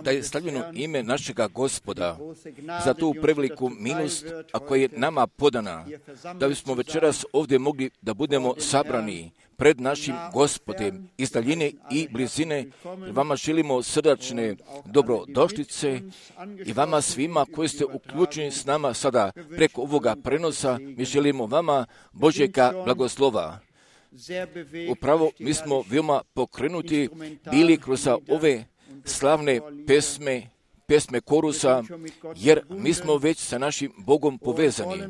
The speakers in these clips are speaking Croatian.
Da je slavljeno ime našega Gospoda za tu preveliku milost, a koja je nama podana, da bismo večeras ovdje mogli da budemo sabrani pred našim Gospodem iz daljine i blizine. Vama želimo srdačne dobrodošlice i vama svima koji ste uključeni s nama sada preko ovoga prenosa, mi želimo vama Božjega blagoslova. Upravo mi smo veoma pokrenuti bili kroz ove slavne pesme korusa, jer mi smo već sa našim Bogom povezani,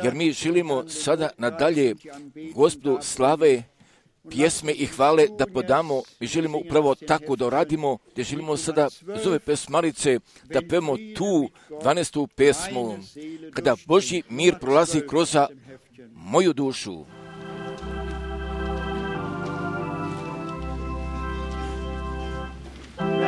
jer mi želimo sada nadalje Gospodu slave, pjesme i hvale da podamo. Mi želimo upravo tako da radimo, gdje želimo sada uz ove pesmarice da pevamo tu 12. pesmu, kada Božji mir prolazi kroz moju dušu. Oh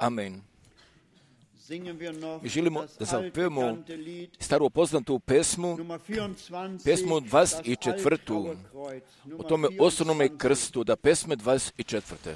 Amen. Mi želimo da zapevamo staru poznatu pesmu 24. o tome osnovnome krstu, da pesme 24.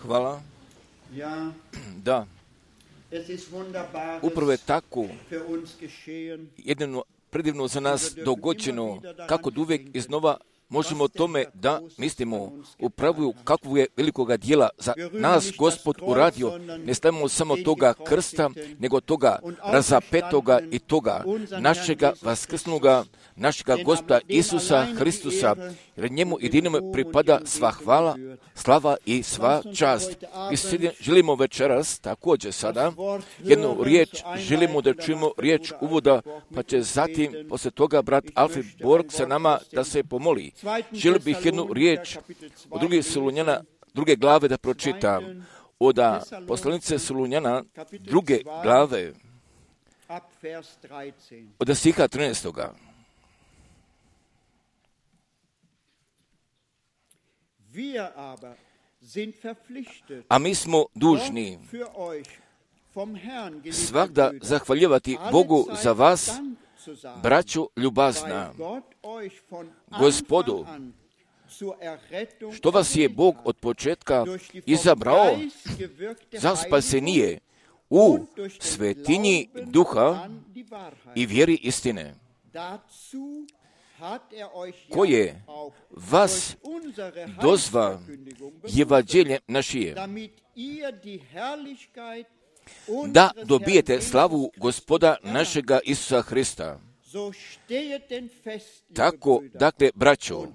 Hvala. Da. Upravo je tako jedino predivno za nas dogođeno, kako da uvijek iznova možemo o tome da mislimo upravo kakvu je velikoga dijela za nas Gospod uradio. Ne stavimo samo toga krsta, nego toga razapetoga i toga našega vaskrsnuga, našega Gospoda Isusa Hristusa, jer njemu jedinome pripada sva hvala, slava i sva čast. I želimo večeras, također sada, jednu riječ, želimo da čujemo riječ uvoda, pa će zatim, poslije toga, brat Alfred Borg sa nama da se pomoli. Želio bih jednu riječ od druge glave da pročitam. Od poslanice Solunjana, druge glave, od stiha 13. A mi smo dužni svakda zahvaljivati Bogu za vas, braćo ljubazna, Gospodu što vas je Bog od početka izabrao za spasenije u svetinji duha i vjeri istine, koje vas dozva evanđeljem našije, da dobijete slavu Gospoda našega Isusa Hrista. Tako, dakle, braćo,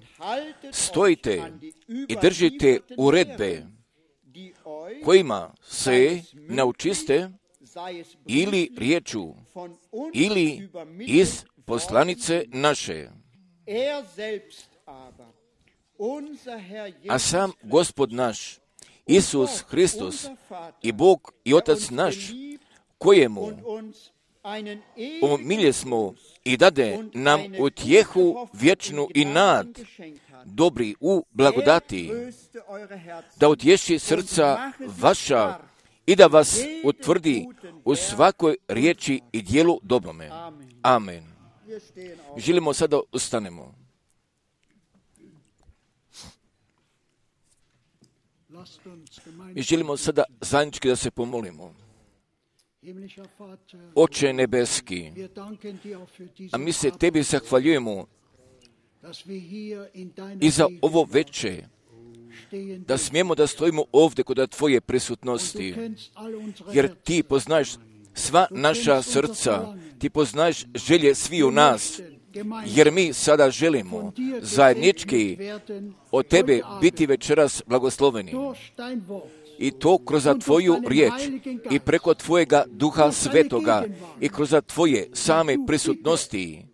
stojite i držite uredbe kojima se naučiste ili riječu, ili iz poslanice naše. A sam Gospod naš, Isus Hristos, i Bog i Otac naš, kojemu omilje smo i dade nam utjehu vječnu i nad, dobri u blagodati, da utješi srca vaša i da vas utvrdi u svakoj riječi i djelu dobrome. Amen. Želimo sada ustanemo. I želimo sada zajednički da se pomolimo. Oče nebeski, a mi se tebi zahvaljujemo i za ovo veče, da smijemo da stojimo ovdje kod tvoje prisutnosti, jer ti poznaješ sva naša srca, ti poznaješ želje svi u nas, jer mi sada želimo zajednički od tebe biti večeras blagosloveni. I to kroz tvoju riječ i preko tvojega Duha Svetoga i kroz tvoje same prisutnosti.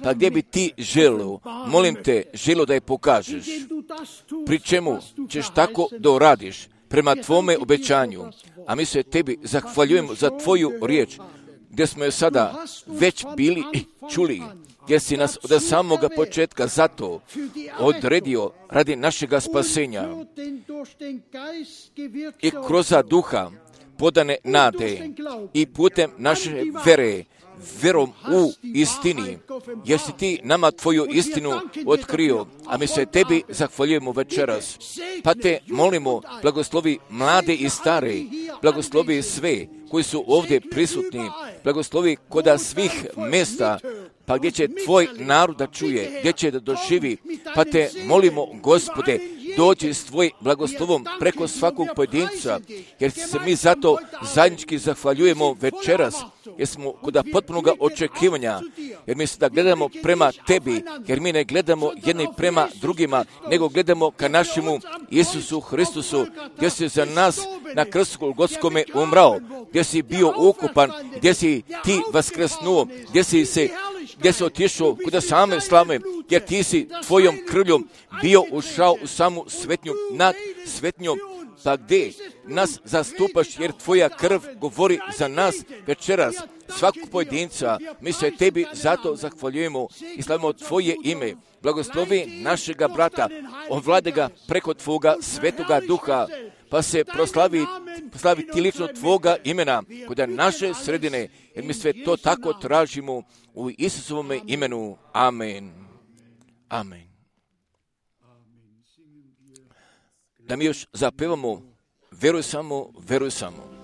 Pa gdje bi ti želio, molim te, želio da je pokažeš, pri čemu ćeš tako da uradiš prema tvome obećanju. A mi se tebi zahvaljujemo za tvoju riječ, gdje smo je sada već bili i čuli, gdje si nas od samoga početka zato odredio radi našega spasenja i kroz duha podane nade i putem naše vere, verom u istini, jer si ti nama tvoju istinu otkrio, a mi se tebi zahvaljujemo večeras. Pa te molimo, blagoslovi mlade i stare, blagoslovi sve koji su ovdje prisutni, blagoslovi koda svih mjesta, pa gdje će tvoj narod da čuje, gdje će da doživi, pa te molimo, Gospode, dođi s tvojim blagoslovom preko svakog pojedinca, jer se mi zato zajednički zahvaljujemo večeras, jer smo kod potpunog očekivanja, jer mi se da gledamo prema tebi, jer mi ne gledamo jedni prema drugima, nego gledamo ka našemu Isusu Hristusu, gdje si za nas na krstu Golgotskome umrao, gdje si bio ukupan, gdje si ti vaskrsnuo, gdje si otišao kuda same slave, jer ti si tvojom krvljom bio ušao u samu svetnju nad svetnjom, pa gdje nas zastupaš, jer tvoja krv govori za nas večeras, svakog pojedinca. Mi se tebi zato zahvaljujemo i slavimo tvoje ime. Blagoslovi našega brata, ovlade ga preko tvoga svetoga duha, pa se proslavi ti lično tvoga imena kod naše sredine, jer mi sve to tako tražimo u Isusovome imenu. Amen. Amen. Da mi još zapevamo, veruj samo, veruj samo.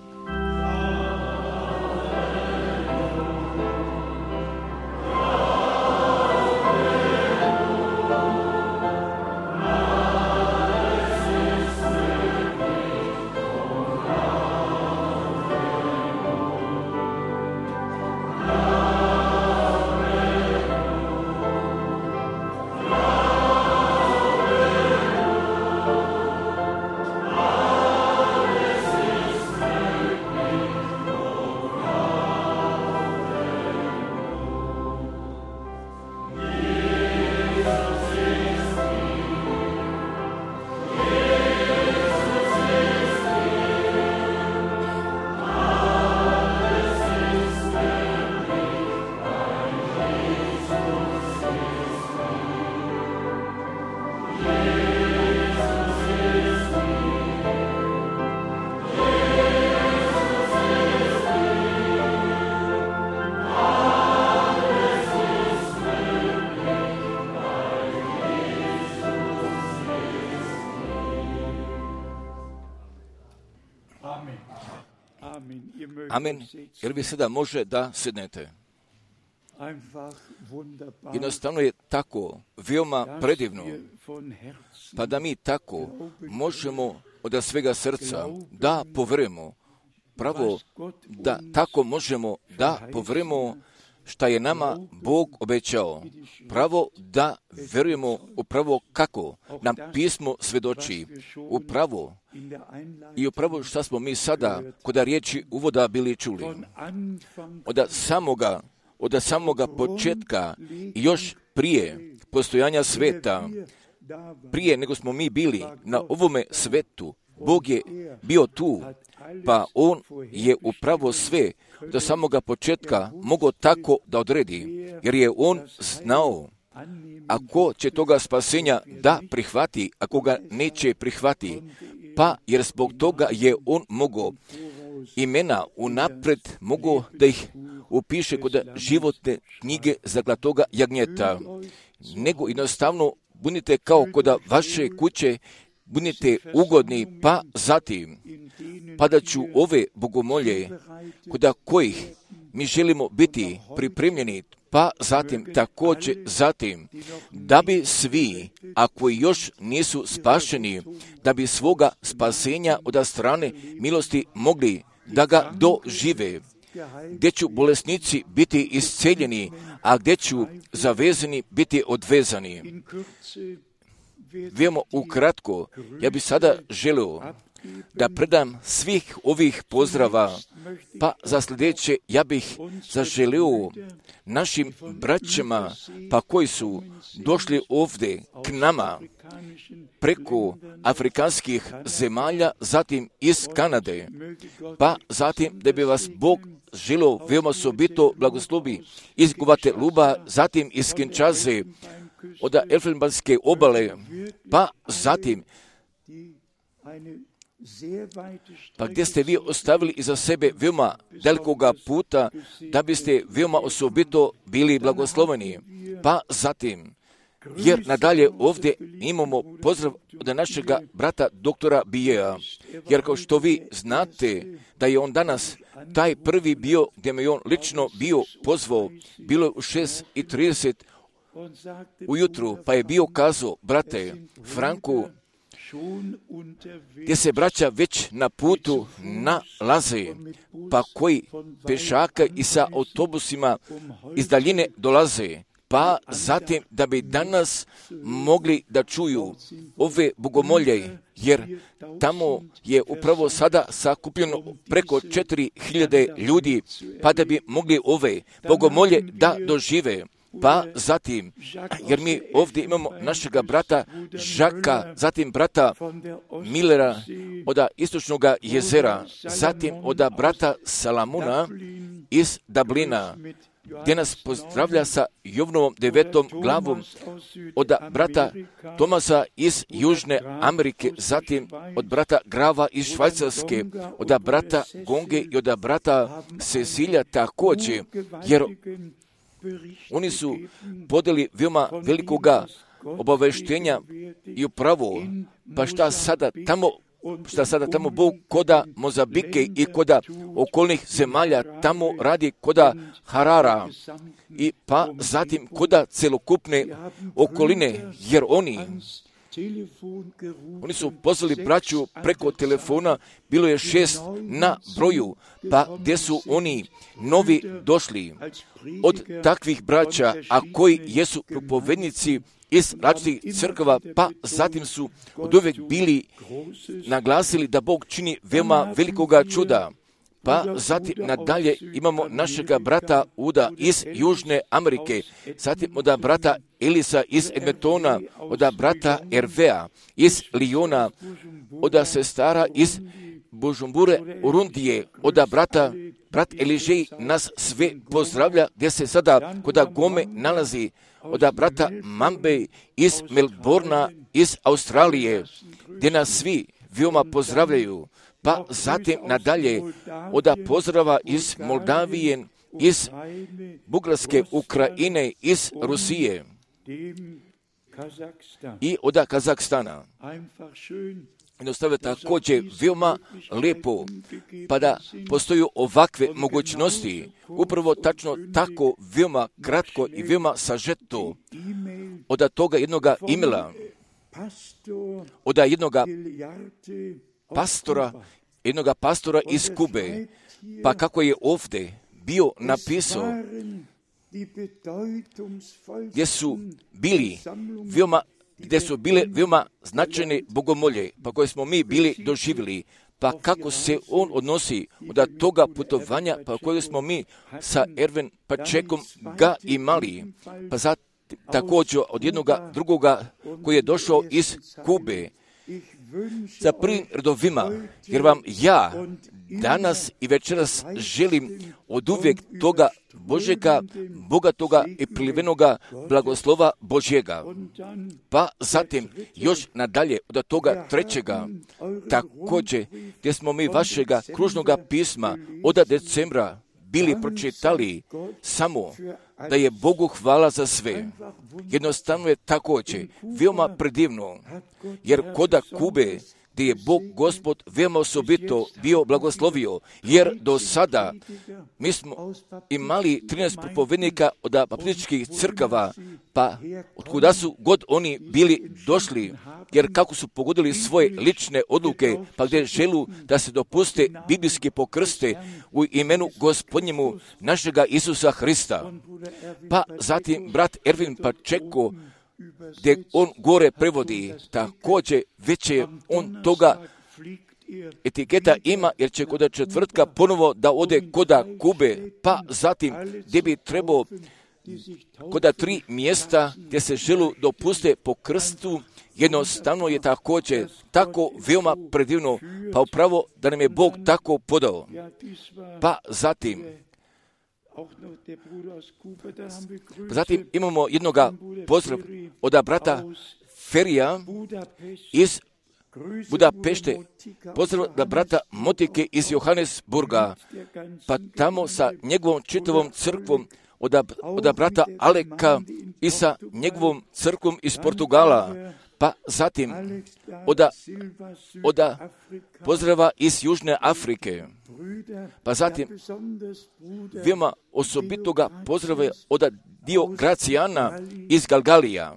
Amen. Jer vi sada može da sednete. Jednostavno je tako veoma predivno, pa da mi tako možemo od svega srca da poverujemo, pravo da tako možemo da poverujemo šta je nama Bog obećao, pravo da verujemo upravo kako nam pismo svedoči, upravo i upravo šta smo mi sada kod riječi uvoda bili čuli. Od samoga početka, još prije postojanja sveta, prije nego smo mi bili na ovome svetu, Bog je bio tu, pa On je upravo sve do samoga početka mogao tako da odredi, jer je On znao ako će toga spasenja da prihvati, ako ga neće prihvati, pa jer zbog toga je On mogao imena unapred mogao da ih upiše kod životne knjige Zaklatoga jagnjeta, nego jednostavno budite kao kod vaše kuće, budite ugodni, pa zatim padaću ove bogomolje kod kojih mi želimo biti pripremljeni, pa zatim također da bi svi, ako još nisu spašeni, da bi svoga spasenja od strane milosti mogli da ga dožive, gdje ću bolesnici biti isceljeni, a gdje ću zavezani biti odvezani. Veoma ukratko, ja bih sada želio da predam svih ovih pozdrava, pa za sljedeće ja bih zaželio našim braćama, pa koji su došli ovdje k nama preko afrikanskih zemalja, zatim iz Kanade, pa zatim da bi vas Bog želio veoma osobito blagoslovi iz Guateluba, zatim iz Kinshase, od Elfenbanske obale, pa zatim pa gdje ste vi ostavili iza sebe veoma dalikoga puta, da biste veoma osobito bili blagosloveni. Pa zatim, jer nadalje ovdje imamo pozdrav od našega brata doktora Bijea, jer kao što vi znate da je on danas taj prvi bio, gdje me on lično bio pozvao, bilo je u 6:30 ujutru, pa je bio kazao, brate Franku, gdje se braća već na putu nalaze, pa koji pešaka i sa autobusima iz daljine dolaze, pa zatim da bi danas mogli da čuju ove bogomolje, jer tamo je upravo sada sakupljeno preko 4.000 ljudi, pa da bi mogli ove bogomolje da dožive. Pa zatim, jer mi ovdje imamo našega brata Žaka, zatim brata Millera od Istočnog jezera, zatim od brata Salamuna iz Dublina, gdje nas pozdravlja sa Jovnovom 9. glavom, od brata Tomasa iz Južne Amerike, zatim od brata Grava iz Švajcarske, od brata Gonge i od brata Cecilija također, jer oni su podeli veoma velikoga obaveštenja i upravo, pa šta sada tamo Bog koda Mozambike i koda okolnih zemalja tamo radi koda Harara i pa zatim koda celokupne okoline, jer oni su pozvali braću preko telefona, bilo je 6 na broju, pa gdje su oni novi došli od takvih braća, a koji jesu propovednici iz različitih crkava, pa zatim su od uvijek bili naglasili da Bog čini veoma velikoga čuda. Pa zatim nadalje imamo našega brata Uda iz Južne Amerike, zatim od brata Elisa iz Edmontona, od brata Ervea iz Liona, od sestara iz Bujumbure, Urundije, od brat Eližej nas sve pozdravlja, gdje se sada kod Gome nalazi, od brata Mambe iz Melbourna, iz Australije, gdje nas svi veoma pozdravljaju. Pa zatim nadalje od pozdrava iz Moldavije, iz Bugarske, Ukrajine, iz Rusije. i od Kazahstana. Jednostavno također veoma lijepo, pa da postoju ovakve mogućnosti, upravo tačno tako veoma kratko i veoma sažeto od toga jednoga imela, od jednoga pastora iz Kube, pa kako je ovdje bio napisao, gdje su bile veoma značajne bogomolje, pa koje smo mi bili doživjeli, pa kako se on odnosi od toga putovanja, pa koje smo mi sa Erwin Pačekom ga imali, pa također od jednoga drugoga koji je došao iz Kube, za prvim redovima, jer vam ja danas i večeras želim od uvijek toga Božjega, bogatoga i prilivenoga blagoslova Božjega. Pa zatim još nadalje od toga trećega, također gdje smo mi vašega kružnoga pisma od decembra bili pročitali samo da je Bogu hvala za sve. Jednostavno je također veoma predivno, jer koda Kube, gdje je Bog Gospod veoma osobito bio blagoslovio, jer do sada mi smo imali 13 propovednika od baptističkih crkava, pa otkuda su god oni bili došli, jer kako su pogodili svoje lične odluke, pa gdje želu da se dopuste biblijski pokrste u imenu Gospodnjemu našega Isusa Hrista. Pa zatim brat Erwin Pačeko, gdje on gore prevodi, također već je on toga etiketa ima, jer će kod četvrtka ponovo da ode koda Kube, pa zatim gdje bi trebao koda 3 mjesta gdje se želu dopuste po krstu, jednostavno je također tako veoma predivno, pa upravo da nam je Bog tako podao. Pa zatim imamo jednoga pozdrav od brata Ferija iz Budapešte, pozdrav od brata Motike iz Johannesburga, pa tamo sa njegovom čitavom crkvom od brata Aleka i sa njegovom crkvom iz Portugala, pa zatim od pozdrava iz Južne Afrike, pa zatim veoma osobitoga pozdrava od Diogracijana iz Galgalija,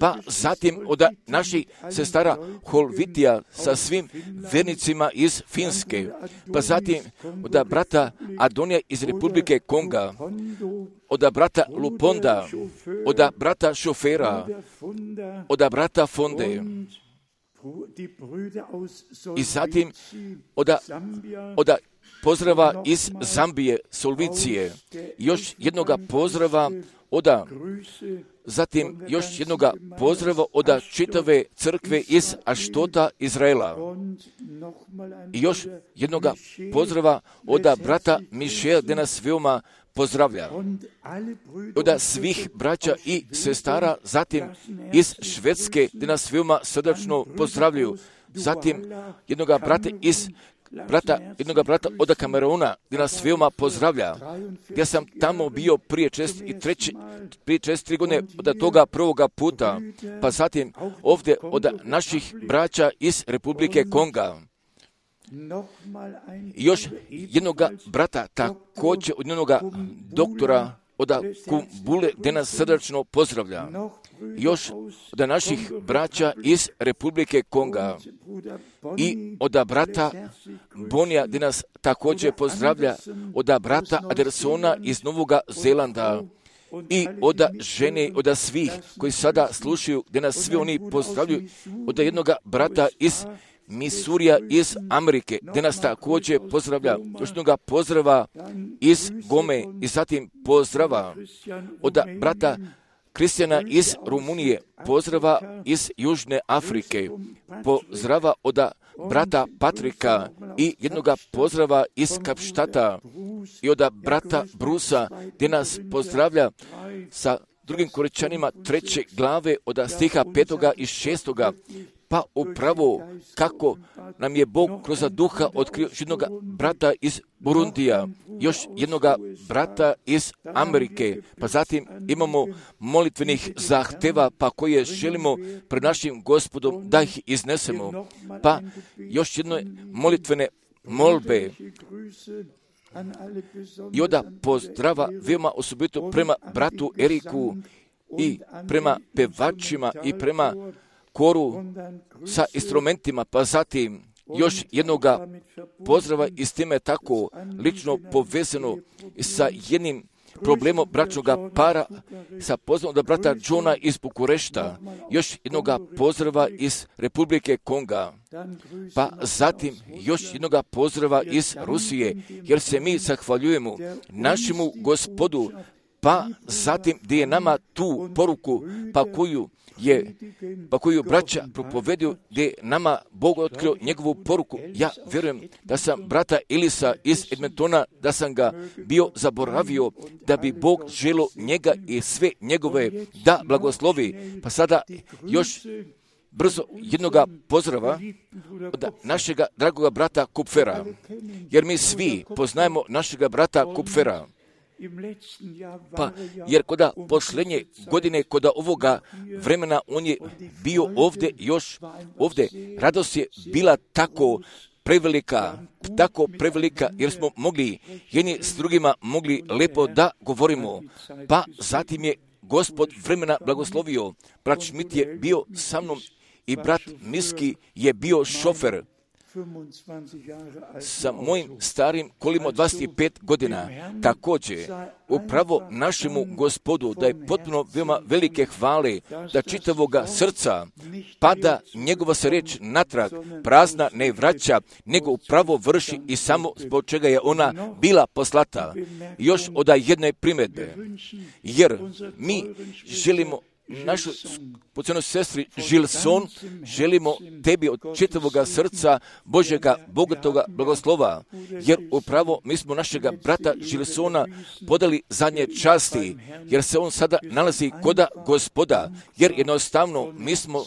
pa zatim od naših sestara Holvitija sa svim vernicima iz Finske, pa zatim od brata Adonija iz Republike Konga, od brata Luponda, od brata Šofera, od brata Fonde, i zatim od pozdrava iz Zambije, Solvicije, još jednoga pozdrava zatim još jednoga pozdrava od čitave crkve iz Aštota, Izraela. I još jednoga pozdrava od brata Mišela, gdje nas veoma pozdravlja. Od svih braća i sestara, zatim iz Švedske, gdje nas veoma srdačno pozdravljaju. Zatim jednoga brata od Kameruna, gdje nas veoma pozdravlja. Ja sam tamo bio prije 4 godine od toga prvoga puta, pa zatim ovdje od naših braća iz Republike Konga. Još jednoga brata, također od jednoga doktora od Kumbule, gdje nas srdačno pozdravlja. Još od naših braća iz Republike Konga i od brata Bonija, gdje nas također pozdravlja, od brata Adersona iz Novoga Zelanda i od žene, od svih koji sada slušaju, gdje nas svi oni pozdravljaju, od jednoga brata iz Misurija iz Amerike, gdje nas također pozdravlja, još jednoga pozdrava iz Gome i zatim pozdrava od brata Kristijana iz Rumunije, pozdrava iz Južne Afrike, pozdrava od brata Patrika i jednoga pozdrava iz Kapštata i od brata Brusa, gdje nas pozdravlja sa drugim Korinčanima 3. glave od stiha 5. i 6. Pa upravo kako nam je Bog kroz duha otkrio jednog brata iz Burundija, još jednog brata iz Amerike, pa zatim imamo molitvenih zahteva, pa koje želimo pred našim Gospodom da ih iznesemo, pa još jedno molitvene molbe. I onda pozdrava veoma osobito prema bratu Eriku i prema pevačima i prema koru sa instrumentima, pa zatim još jednoga pozdrava i s time tako lično povezano sa jednim problemom bračnoga para, sa pozdravom od brata Johna iz Bukurešta, još jednoga pozdrava iz Republike Konga, pa zatim još jednoga pozdrava iz Rusije, jer se mi zahvaljujemo našemu Gospodu, pa zatim gdje je nama tu poruku, pa koju braća propoveduju, gdje je nama Bog otkrio njegovu poruku. Ja vjerujem da sam brata Elisa iz Edmontona, da sam ga bio zaboravio, da bi Bog želio njega i sve njegove da blagoslovi. Pa sada još brzo jednoga pozdrava od našega dragoga brata Kupfera, jer mi svi poznajemo našega brata Kupfera. Pa, jer koda posljednje godine, koda ovoga vremena, on je bio ovdje, radost je bila tako prevelika, jer smo mogli jedni s drugima mogli lepo da govorimo. Pa zatim je Gospod vremena blagoslovio. Brat Schmidt je bio sa mnom i brat Miski je bio šofer sa mojim starim kolima od 25 godina. Također, upravo našemu Gospodu da je potpuno veoma velike hvale, da čitavoga srca pada njegova se riječ natrag, prazna ne vraća, nego upravo vrši i samo zbog čega je ona bila poslata. Još od jedne primjedbe, jer mi želimo našu pocijenu sestri Žilson, želimo tebi od čitavoga srca Božjega bogatoga blagoslova, jer upravo mi smo našega brata Žilsona podali zadnje časti, jer se on sada nalazi koda Gospoda, jer jednostavno mi smo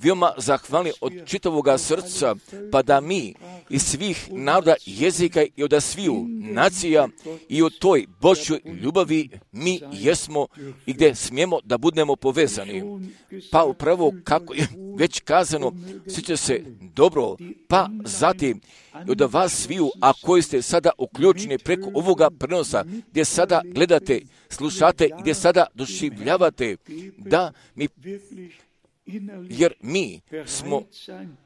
veoma zahvalni od čitavoga srca, pa da mi iz svih naroda, jezika i od sviju nacija i u toj Božjoj ljubavi mi jesmo i gdje smijemo da budemo povezani. Pa upravo kako je već kazano, sjeća se dobro, pa zatim od vas sviju, a koji ste sada uključeni preko ovoga prenosa, gdje sada gledate, slušate, gdje sada doživljavate, da mi, jer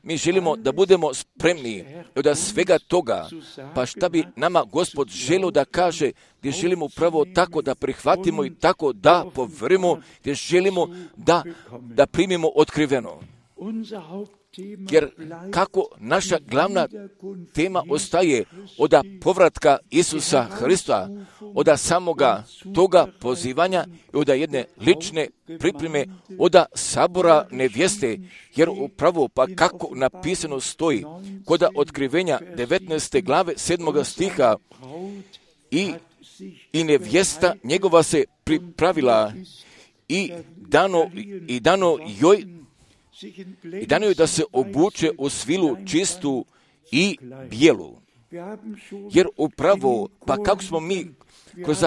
mi želimo da budemo spremni od svega toga, pa šta bi nama Gospod želio da kaže, gdje želimo upravo tako da prihvatimo i tako da poverimo, gdje želimo da primimo otkriveno. Jer kako naša glavna tema ostaje od povratka Isusa Hrista, od samoga toga pozivanja i od jedne lične pripreme, od sabora nevjeste, jer upravo pa kako napisano stoji kod otkrivenja 19. glave 7. stiha i nevjesta njegova se pripravila i dano joj da se obuče u svilu čistu i bijelu. Jer upravo, pa kako smo mi kroz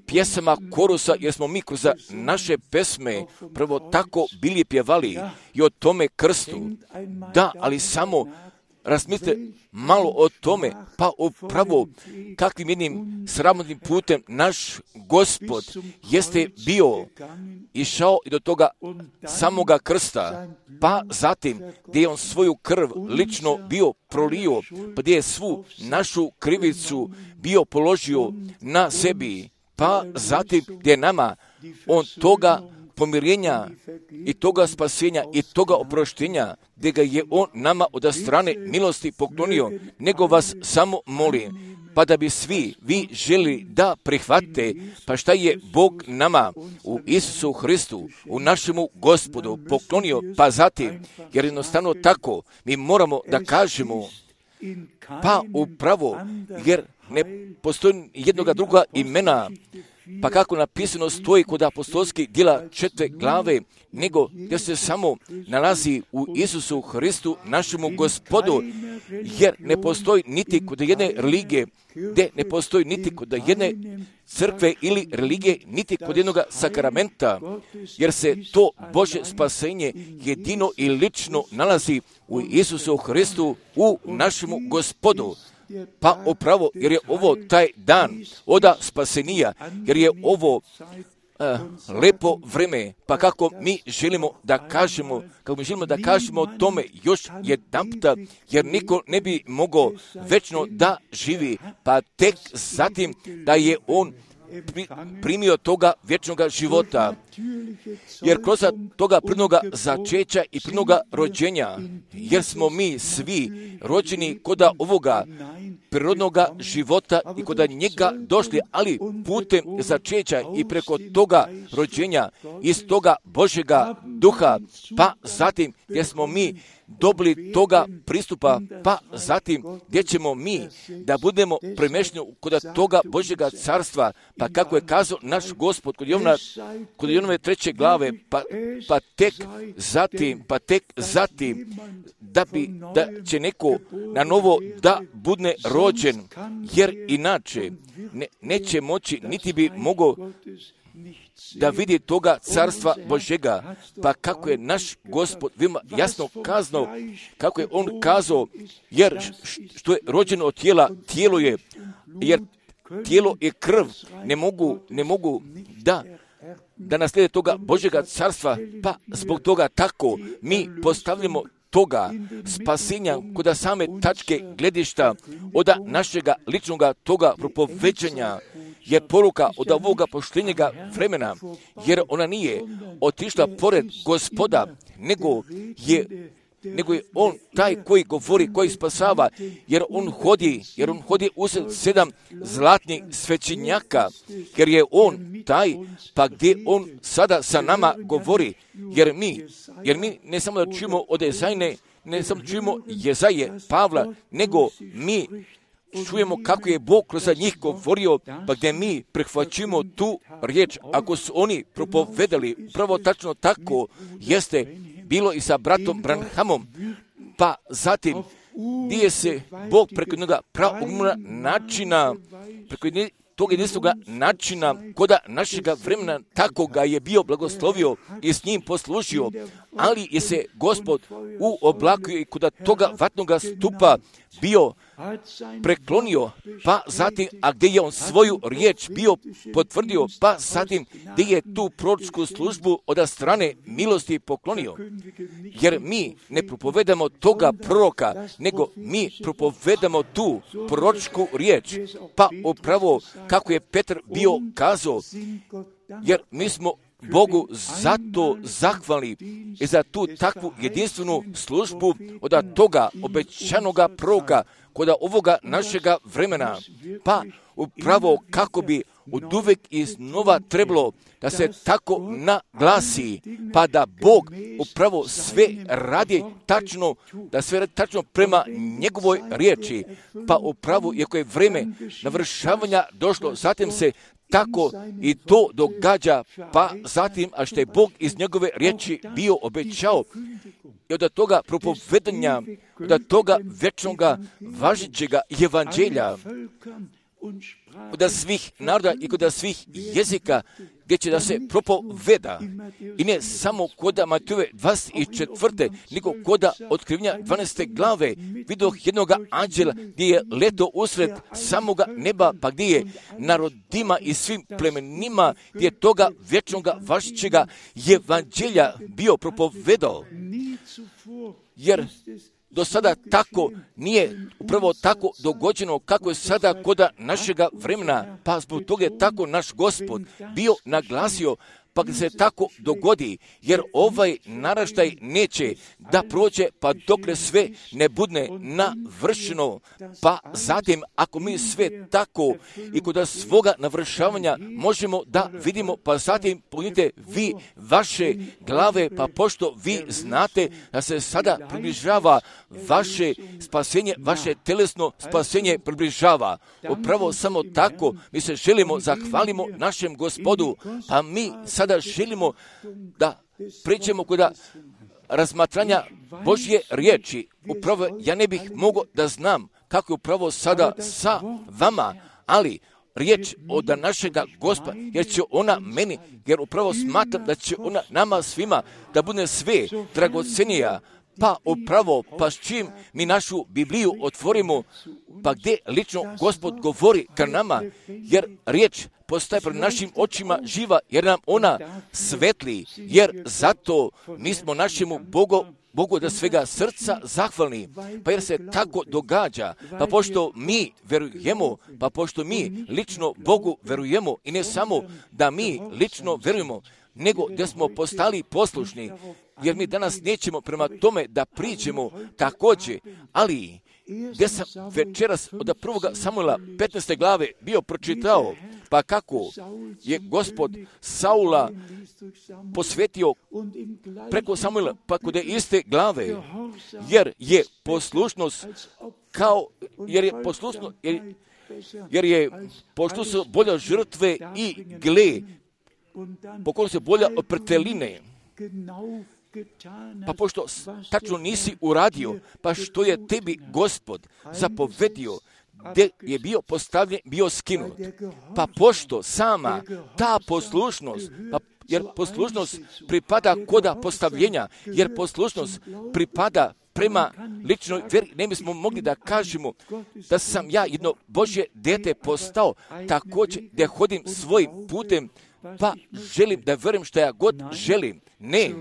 pjesama korusa, jer smo mi kroz naše pesme prvo tako bili pjevali i o tome krstu. Da, ali samo razmislite malo o tome, pa upravo kakvim jednim sramotnim putem naš Gospod jeste bio išao i do toga samoga krsta, pa zatim gdje je on svoju krv lično bio prolio, pa gdje je svu našu krivicu bio položio na sebi, pa zatim gdje je nama on toga pomirenja i toga spasenja i toga oproštenja, gdje ga je on nama od strane milosti poklonio, nego vas samo molim, pa da bi svi vi želi da prihvate, pa šta je Bog nama u Isusu Hristu, u našemu Gospodu poklonio, pa zatim, jer jednostavno tako mi moramo da kažemo, pa upravo, jer ne postoji jednoga druga imena, pa kako napisano stoji kod apostolskih djela 4. glave, nego gdje se samo nalazi u Isusu Hristu, našemu Gospodu, jer ne postoji niti kod jedne religije, gdje ne postoji niti kod jedne crkve ili religije, niti kod jednog sakramenta, jer se to Božje spasenje jedino i lično nalazi u Isusu Hristu, u našemu Gospodu. Pa upravo, jer je ovo taj dan oda spasenija, jer je ovo lepo vreme, pa kako mi želimo da kažemo o tome još jedanputa, jer niko ne bi mogao večno da živi, pa tek zatim da je on primio toga vječnoga života, jer kroz toga prirodnoga začeća i prirodnoga rođenja, jer smo mi svi rođeni koda ovoga prirodnoga života i koda njega došli, ali putem začeća i preko toga rođenja iz toga Božjega duha, pa zatim gdje smo mi dobili toga pristupa, pa zatim gdje ćemo mi da budemo premješteni kod toga Božjega carstva, pa kako je kazao naš Gospod kod Jovanove 3. glave, pa tek zatim da će neko na novo da bude rođen, jer inače neće moći, niti bi mogao da vidi toga carstva Božjega, pa kako je naš Gospod veoma jasno kazao, kako je on kazao, jer što je rođeno od tijela, tijelo je, jer tijelo i krv ne mogu da naslijede toga Božjega carstva, pa zbog toga tako mi postavljamo toga spasenja kod same tačke gledišta od našega ličnoga toga propoveđanja je poruka od ovoga poštenjega vremena, jer ona nije otišla pored Gospoda, nego je on taj koji govori, koji spasava, jer on hodi usred 7 zlatnih svećenjaka, jer je on taj, pa gdje on sada sa nama govori, jer mi ne samo da čujemo od Jezajne, ne samo čujemo Jezaje, Pavla, nego mi čujemo kako je Bog kroz njih govorio, pa gdje mi prihvaćimo tu riječ, ako su oni propovedali, pravo tačno tako jeste bilo i sa bratom Branhamom, pa zatim gdje se Bog preko jednoga pravog načina, preko tog jedinstvenog načina koda našega vremena, tako ga je bio blagoslovio i s njim poslužio, ali je se Gospod u oblaku i koda toga vatnoga stupa bio preklonio, pa zatim, a gdje je on svoju riječ bio potvrdio, pa zatim gdje je tu proročku službu od strane milosti poklonio. Jer mi ne propovedamo toga proroka, nego mi propovedamo tu proročku riječ, pa upravo kako je Petar bio kazao, jer mi smo Bogu zato zahvalni i za tu takvu jedinstvenu službu od toga obećanoga proroka kod ovoga našega vremena, pa upravo kako bi od uvek iznova trebalo da se tako naglasi, pa da Bog upravo sve radi tačno, da sve radi tačno prema njegovoj riječi, pa upravo iako je vreme navršavanja došlo, zatim se tako i to događa, pa zatim, a što je Bog iz njegove riječi bio obećao, i od toga propovedanja, od toga večnoga važećega evanđelja, od svih naroda i kod svih jezika, gdje će da se propoveda. I ne samo kod Matejove 24. nego kod Otkrivenja 12. glave vidoh jednog anđela gdje je leto usred samoga neba, pa gdje je narodima i svim plemenima, gdje je toga vječnoga važećega evanđelja bio propovedao. Jer do sada tako nije upravo tako dogođeno kako je sada kod našega vremena, pa zbog toga je tako naš Gospod bio naglasio, pa kad se tako dogodi, jer ovaj naraštaj neće da prođe pa dokle sve ne bude navršeno, pa zatim ako mi sve tako i kod svoga navršavanja možemo da vidimo, pa zatim pognite vi vaše glave, pa pošto vi znate da se sada približava vaše spasenje, vaše telesno spasenje približava. Upravo samo tako mi se želimo zahvalimo našem Gospodu, a mi sada želimo da pređemo kod razmatranja Božje riječi. Upravo ja ne bih mogao da znam kako je upravo sada sa vama, ali riječ od našega Gospoda, jer će ona meni, jer upravo smatram da će ona nama svima da bude sve dragocenija, pa upravo, pa s čim mi našu Bibliju otvorimo, pa gdje lično Gospod govori ka nama, jer riječ postaje pred našim očima živa, jer nam ona svetli, jer zato mi smo našemu Bogu da svega srca zahvalni, pa jer se tako događa, pa pošto mi verujemo, pa pošto mi lično Bogu verujemo i ne samo da mi lično verujemo, nego da smo postali poslušni, jer mi danas nećemo prema tome da priđemo također, ali gdje sam večeras od 1. Samuela 15. glave bio pročitao, pa kako je Gospod Saula posvetio preko Samuela, pa kod iste glave, jer je poslušnost bolja žrtve i gle, pokolno se bolja od prteline. Pa pošto tačno nisi uradio, pa što je tebi Gospod zapovedio, gdje je bio postavljen, bio skinut. Pa pošto sama ta poslušnost, jer poslušnost pripada koda postavljenja, jer poslušnost pripada prema ličnoj vjeri, ne bismo mogli da kažemo da sam ja jedno Božje dete postao, također da hodim svojim putem, pa želim da verujem što ja god želim. Ne,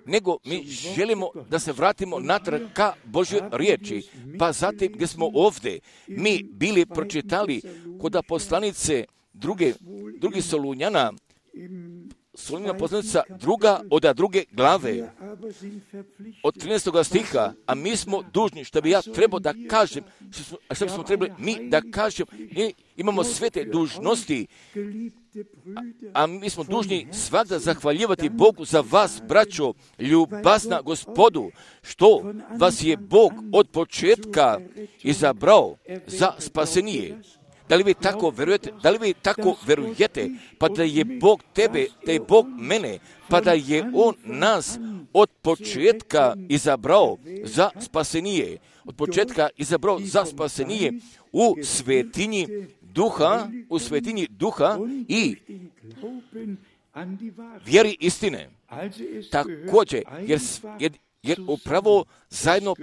nego mi želimo da se vratimo natrag ka Božjoj riječi. Pa zatim gdje smo ovdje, mi bili pročitali kod poslanice drugi Solunjana poslanica druge glave, od 13. stiha, a mi smo dužni, što bi ja trebao da kažem, što bismo trebali mi da kažem, imamo sve te dužnosti, a mi smo dužni svakda zahvaljivati Bogu za vas, braćo, ljubazna Gospodu, što vas je Bog od početka izabrao za spasenije. Da li vi tako verujete? Da li vi tako verujete? Pa da je Bog tebe, da je Bog mene, pa da je On nas od početka izabrao za spasenije. Od početka izabrao za spasenije u svetinji duha i vjeri istine. Također, jer upravo zajedno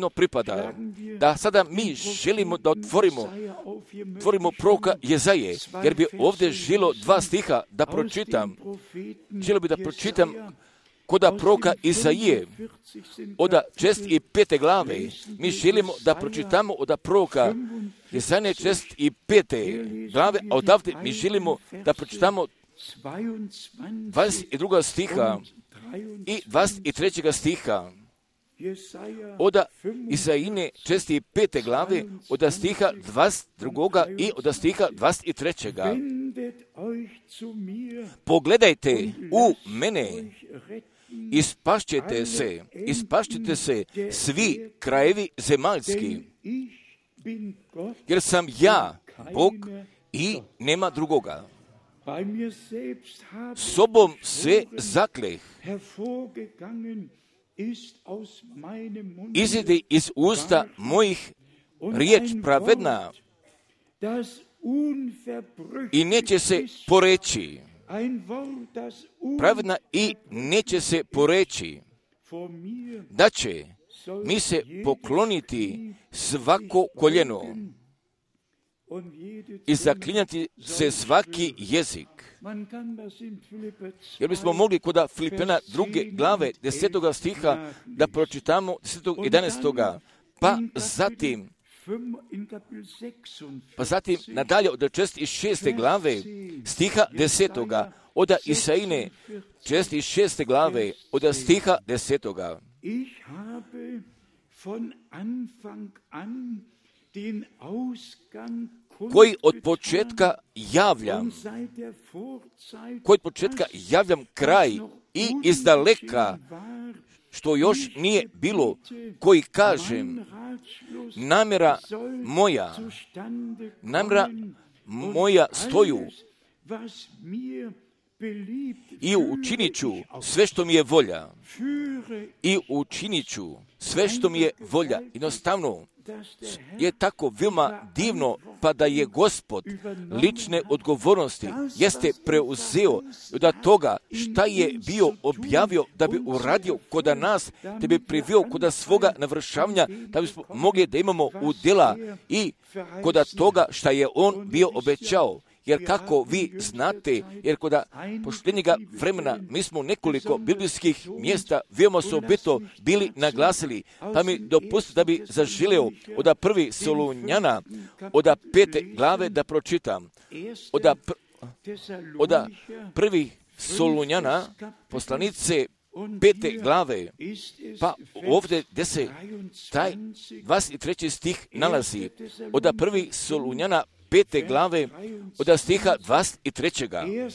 pripada. Da sada mi želimo da otvorimo proroka Jezaje, jer bi ovdje želo 2 stiha da pročitam. Želio bi da pročitam koda proroka Izaije, od 65. glave. Mi želimo da pročitamo od proroka Jezaje 65. glave, a odavde mi želimo da pročitamo 22. stiha i 23. stiha od Izajine 65. glave, od stiha 22. i od stiha 23. Pogledajte u mene, ispašćete se svi krajevi zemaljski, jer sam ja Bog i nema drugoga. Sobom se zakleh, izide iz usta mojih riječ pravedna i neće se poreći. Pravedna i neće se poreći, da će mi se pokloniti svako koljeno i zaklinjati se svaki jezik. Jer bismo mogli kod Filipena 2. glave 10. stiha da pročitamo 10. 11. Pa zatim Pa zatim nadalje od 46. glave stiha 10. od Isaine 46. glave od stiha 10. Koji od početka javljam kraj i izdaleka, što još nije bilo, koji kažem, namjera moja stoju i učinit ću sve što mi je volja. Jednostavno je tako veoma divno, pa da je Gospod lične odgovornosti jeste preuzeo od toga šta je bio objavio da bi uradio kod nas, da bi priveo kod svoga navršavanja, da bismo mogli da imamo udjela i kod toga šta je on bio obećao. Jer kako vi znate, jer kod posljednjega vremena mi smo nekoliko biblijskih mjesta veoma osobito bili naglasili, pa mi dopustite da bi zaželeo od 1. Solunjana, od 5. glave da pročitam. Od 1. Solunjana, poslanice 5. glave, pa ovdje gdje se taj 23. stih nalazi, od 1. Solunjana 5. glave od stiha 23.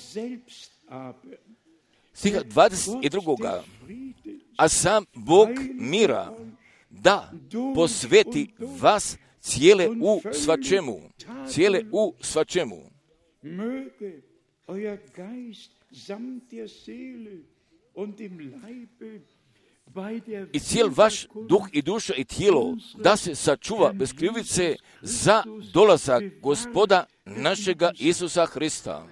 Stiha 22. A sam Bog mira da posveti vas cijele u svačemu. I cijel vaš duh i duša i tijelo da se sačuva bez krivice za dolazak Gospoda našega Isusa Hrista.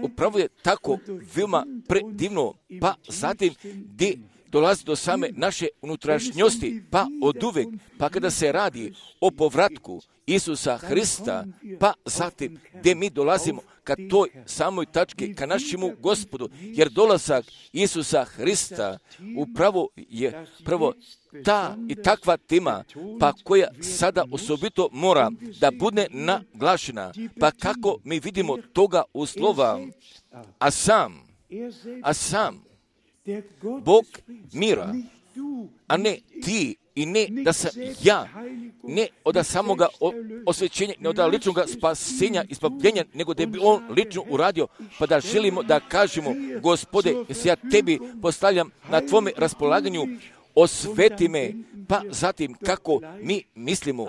Upravo je tako veoma predivno, pa zatim gdje dolazi do same naše unutrašnjosti, pa oduvek, pa kada se radi o povratku Isusa Hrista, pa zatim gdje mi dolazimo ka toj samoj tački, ka našemu Gospodu, jer dolazak Isusa Hrista upravo je prvo ta i takva tema, pa koja sada osobito mora da bude naglašena, pa kako mi vidimo toga uslova, a sam Bog mira, a ne ti i ne da sam ja, ne od samoga osvećenja, ne od ličnog spasenja i spavljenja, nego da bi on lično uradio, pa da želimo da kažemo, Gospode, jesi ja tebi postavljam na tvome raspolaganju, osveti me, pa zatim kako mi mislimo,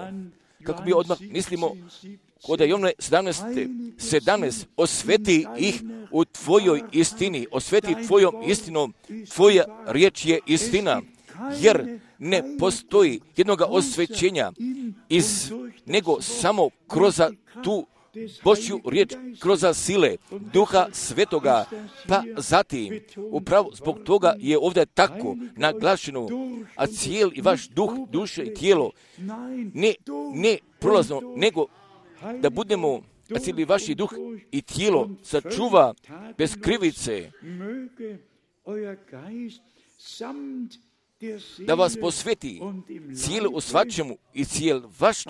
kod Jovne 17, osveti ih u tvojoj istini, osveti tvojom istinom, tvoja riječ je istina, jer ne postoji jednoga osvećenja nego samo kroz tu Božju riječ, kroz sile Duha Svetoga, pa zatim, upravo zbog toga je ovdje tako naglašeno, a cijeli vaš duh, duše i tijelo, ne prolazno, nego da budemo, a cijeli vaši duh i tijelo sačuva bez krivice, da vas posveti cijelo u svačemu i cijel vaš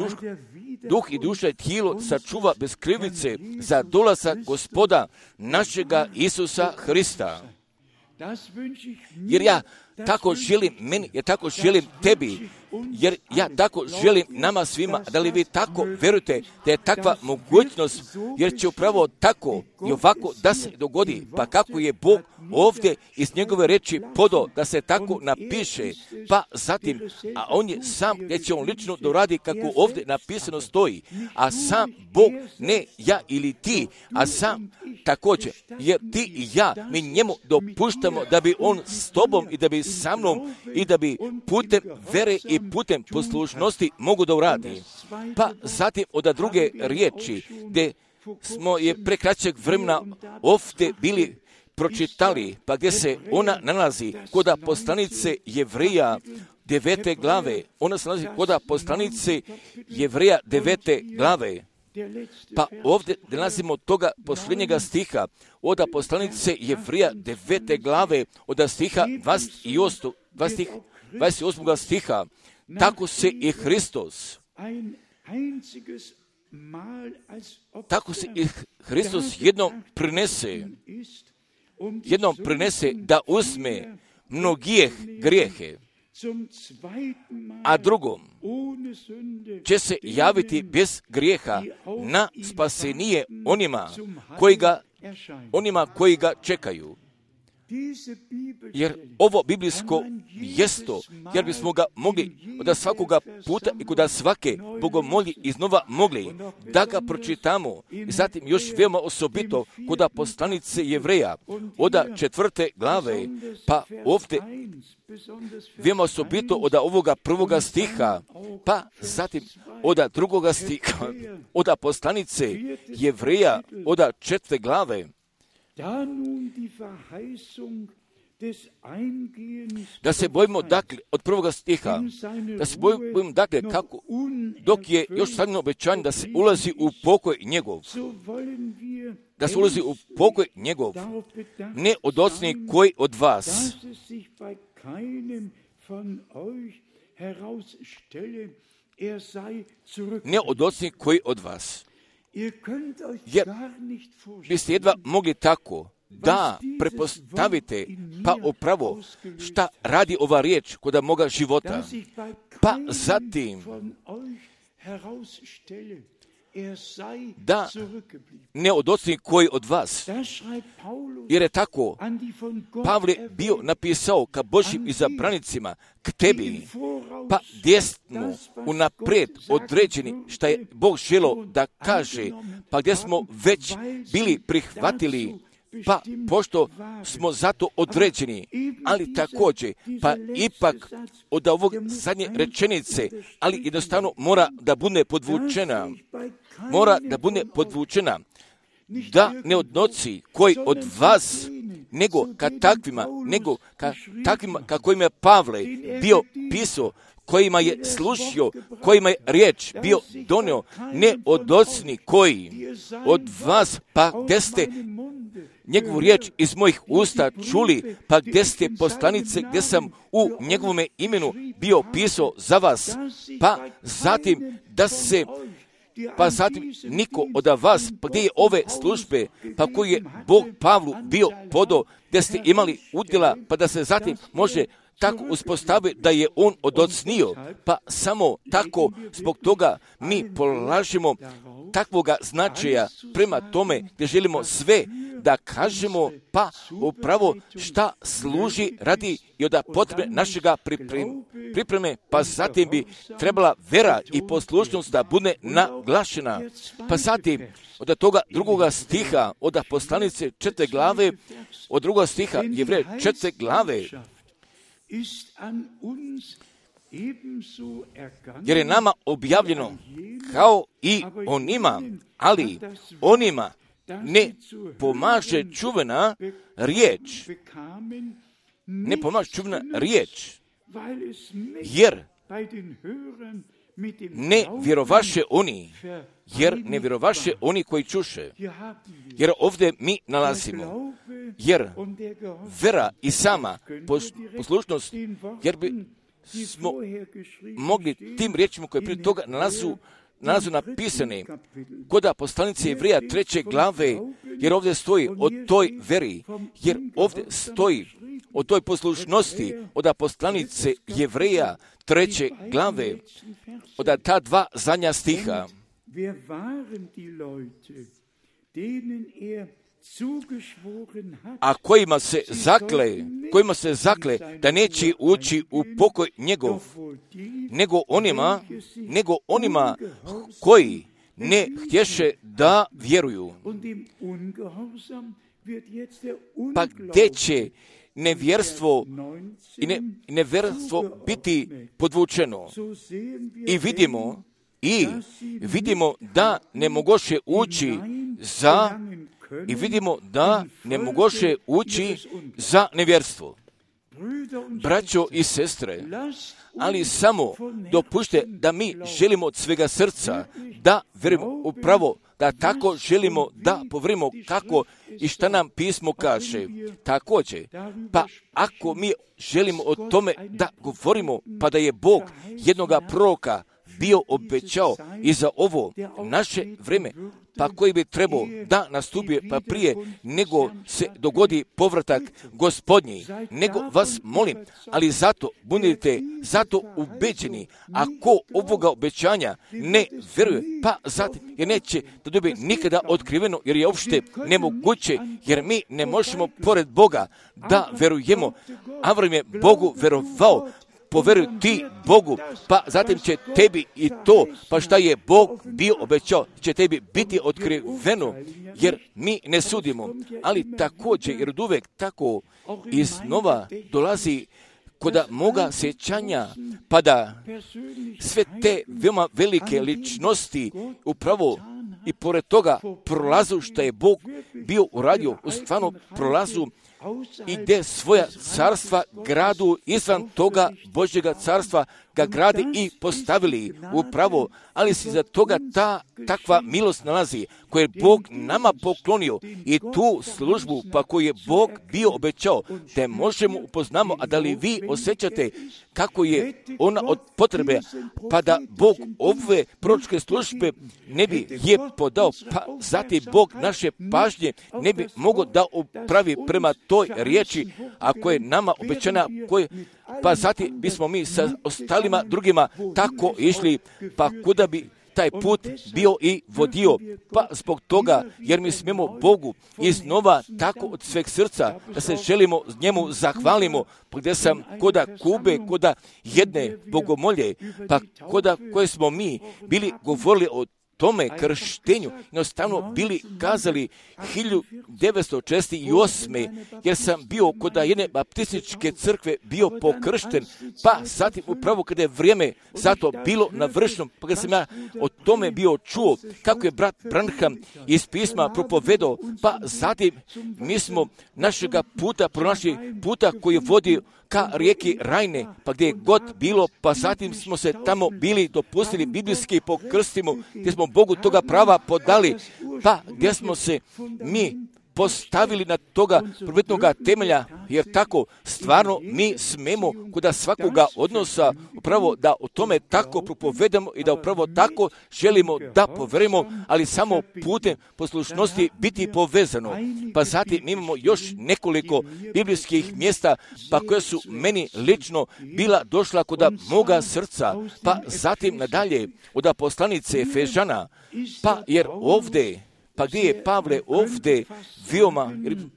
duh i duša i tijelo sačuva bez krivice za dolazak Gospoda našega Isusa Hrista. Jer ja tako želim meni, ja tako želim tebi, jer ja tako želim nama svima, da li vi tako verujete da je takva mogućnost, jer će upravo tako i ovako da se dogodi, pa kako je Bog ovdje iz njegove reči podao da se tako napiše, pa zatim, a on je sam gdje će on lično doradi kako ovdje napisano stoji, a sam Bog, ne ja ili ti, a sam također, jer ti i ja, mi njemu dopuštamo da bi on s tobom i da bi sa mnom i da bi putem vere i putem poslušnosti mogu da uradi. Pa zatim od druge riječi, gdje smo je pre kraćeg vremena ovdje bili pročitali, pa gdje se ona nalazi kod poslanice Jevreja 9. glave. Ona se nalazi kod poslanice Jevreja 9. glave. Pa ovdje nalazimo toga posljednjega stiha od poslanice Jevreja 9. glave od stiha 28. stiha, tako se i Hristos, jednom prinese da uzme mnogih grijehe, a drugom će se javiti bez grijeha na spasenije onima koji ga čekaju. Jer ovo biblijsko mjesto, jer bismo ga mogli od svakoga puta i kod svake bogomolji iznova mogli da ga pročitamo. I zatim još veoma osobito kod poslanice Jevreja od 4. glave, pa ovdje veoma osobito od ovoga 1. stiha, pa zatim od 2. stiha, od poslanice Jevreja od 4. glave, da se bojimo, dakle, od 1. stiha, da se bojimo, dakle, kako, dok je još stavljeno obećanje da se ulazi u pokoj njegov, ne od ocni koji od vas, jer biste jedva mogli tako da prepostavite pa upravo šta radi ova riječ kod moga života. Pa zatim da ne od ocni koji od vas, jer je tako Pavle bio napisao ka Božjim izabranicima, k tebi, pa gdje smo unaprijed određeni šta je Bog želio da kaže, pa gdje smo već bili prihvatili, pa pošto smo zato određeni, ali također, pa ipak od ovog zadnje rečenice, ali jednostavno mora da bude podvučena, da ne odnosi koji od vas, nego ka takvima ka kojima je Pavle bio pisao, kojima je slušio, kojima je riječ bio donio, ne od ocni koji od vas, pa gdje ste njegovu riječ iz mojih usta čuli, pa gdje ste poslanice, gdje sam u njegovome imenu bio pisao za vas, pa zatim niko od vas, pa gdje je ove službe, pa koji je Bog Pavlu bio podao, gdje ste imali udjela, pa da se zatim može tako uspostavi da je on odocnio, pa samo tako zbog toga mi polažemo takvoga značaja prema tome gdje želimo sve da kažemo, pa upravo šta služi radi i od potrebe našega pripreme, pa zatim bi trebala vera i poslušnost da bude naglašena. Pa zatim od toga 2. stiha, od poslanice 4. glave, od 2. stiha Jevreja 4. glave, jer je nama objavljeno kao i onima, ali onima ne pomaže čuvena riječ, jer ne vjerovaše oni koji čuše. Jer ovdje mi nalazimo, jer vera i sama poslušnost, jer bi smo mogli tim riječima koje prije toga nalazu napisane kod poslanice Jevreja 3. glave, jer ovdje stoji o toj veri, jer ovdje stoji o toj poslušnosti od poslanice Jevreja 3. glave, od ta 2 zadnja stiha. A kojima se zakle da neće ući u pokoj njegov, nego onima koji ne htješe da vjeruju. Pa gdje će nevjerstvo biti podvučeno? I vidimo da ne mogoše ući za nevjerstvo. braćo i sestre, ali samo dopušte da mi želimo od svega srca, da verujemo upravo, da tako želimo da povrimo kako i šta nam pismo kaže. Također, pa ako mi želimo o tome da govorimo, pa da je Bog jednoga proroka bio obećao i za ovo naše vrijeme, pa koji bi trebao da nastupi pa prije nego se dogodi povratak Gospodnji, nego vas molim, ali zato budite zato ubeđeni, ako ovoga obećanja ne vjeruje, pa zatim jer neće da dobije nikada otkriveno, jer je uopšte nemoguće, jer mi ne možemo pored Boga da verujemo. Avram je Bogu verovao, poveruj ti Bogu, pa zatim će tebi i to, pa šta je Bog bio obećao, će tebi biti otkriveno, jer mi ne sudimo, ali također, jer od uvek tako iznova dolazi kod moga sjećanja, pa da sve te veoma velike ličnosti upravo i pored toga prolazu što je Bog bio uradio, u stvarno prolazu i gdje svoja carstva gradu izvan toga Božjega carstva ga gradi i postavili upravo, ali se za toga takva milost nalazi koju je Bog nama poklonio i tu službu pa koju je Bog bio obećao te možemo upoznamo, a da li vi osjećate kako je ona od potrebe, pa da Bog ove proročke službe ne bi je podao, pa zatim Bog naše pažnje ne bi mogao da upravi prema toj riječi, a koja je nama obećana, pa zatim bismo mi sa ostalima drugima tako išli, pa kuda bi taj put bio i vodio, pa zbog toga, jer mi smijemo Bogu iznova tako od sveg srca, da se želimo njemu zahvalimo, pa gdje sam koda Kube, koda jedne bogomolje, pa koda koje smo mi bili govorili o tome krštenju, jednostavno bili kazali 1948. jer sam bio kod jedne baptističke crkve bio pokršten, pa zatim upravo kada je vrijeme zato bilo navršeno, pa kada sam ja o tome bio čuo kako je brat Branham iz pisma propovedao, pa zatim mi smo našega puta pronašli puta koji vodi ka rijeki Rajne, pa gdje je god bilo, pa zatim smo se tamo bili dopustili biblijski pokrstimo, gdje smo Bogu toga prava podali, pa gdje smo se mi postavili na toga prvotnoga temelja, jer tako stvarno mi smemo kod svakoga odnosa upravo da o tome tako propovedamo i da upravo tako želimo da poverimo, ali samo putem poslušnosti biti povezano. Pa zatim imamo još nekoliko biblijskih mjesta, pa koje su meni lično bila došla kod moga srca, pa zatim nadalje od poslanice Efežana, pa jer ovdje, pa gdje je Pavle ovdje veoma,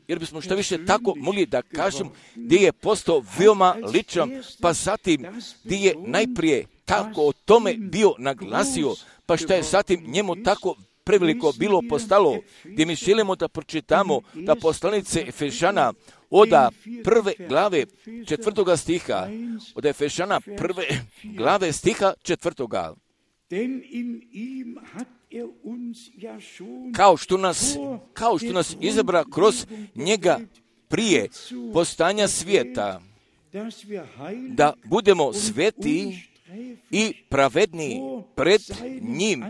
jer bismo što više tako mogli da kažem, gdje je postao veoma ličan, pa zatim gdje je najprije tako o tome bio naglasio, pa što je zatim njemu tako preveliko bilo postalo, gdje mi želimo da pročitamo da poslanice Efežana od prve glave 4. stiha, od Efežana prve glave stiha 4. Kao što nas izabra kroz njega prije postanja svijeta, da budemo sveti i pravedni pred njim,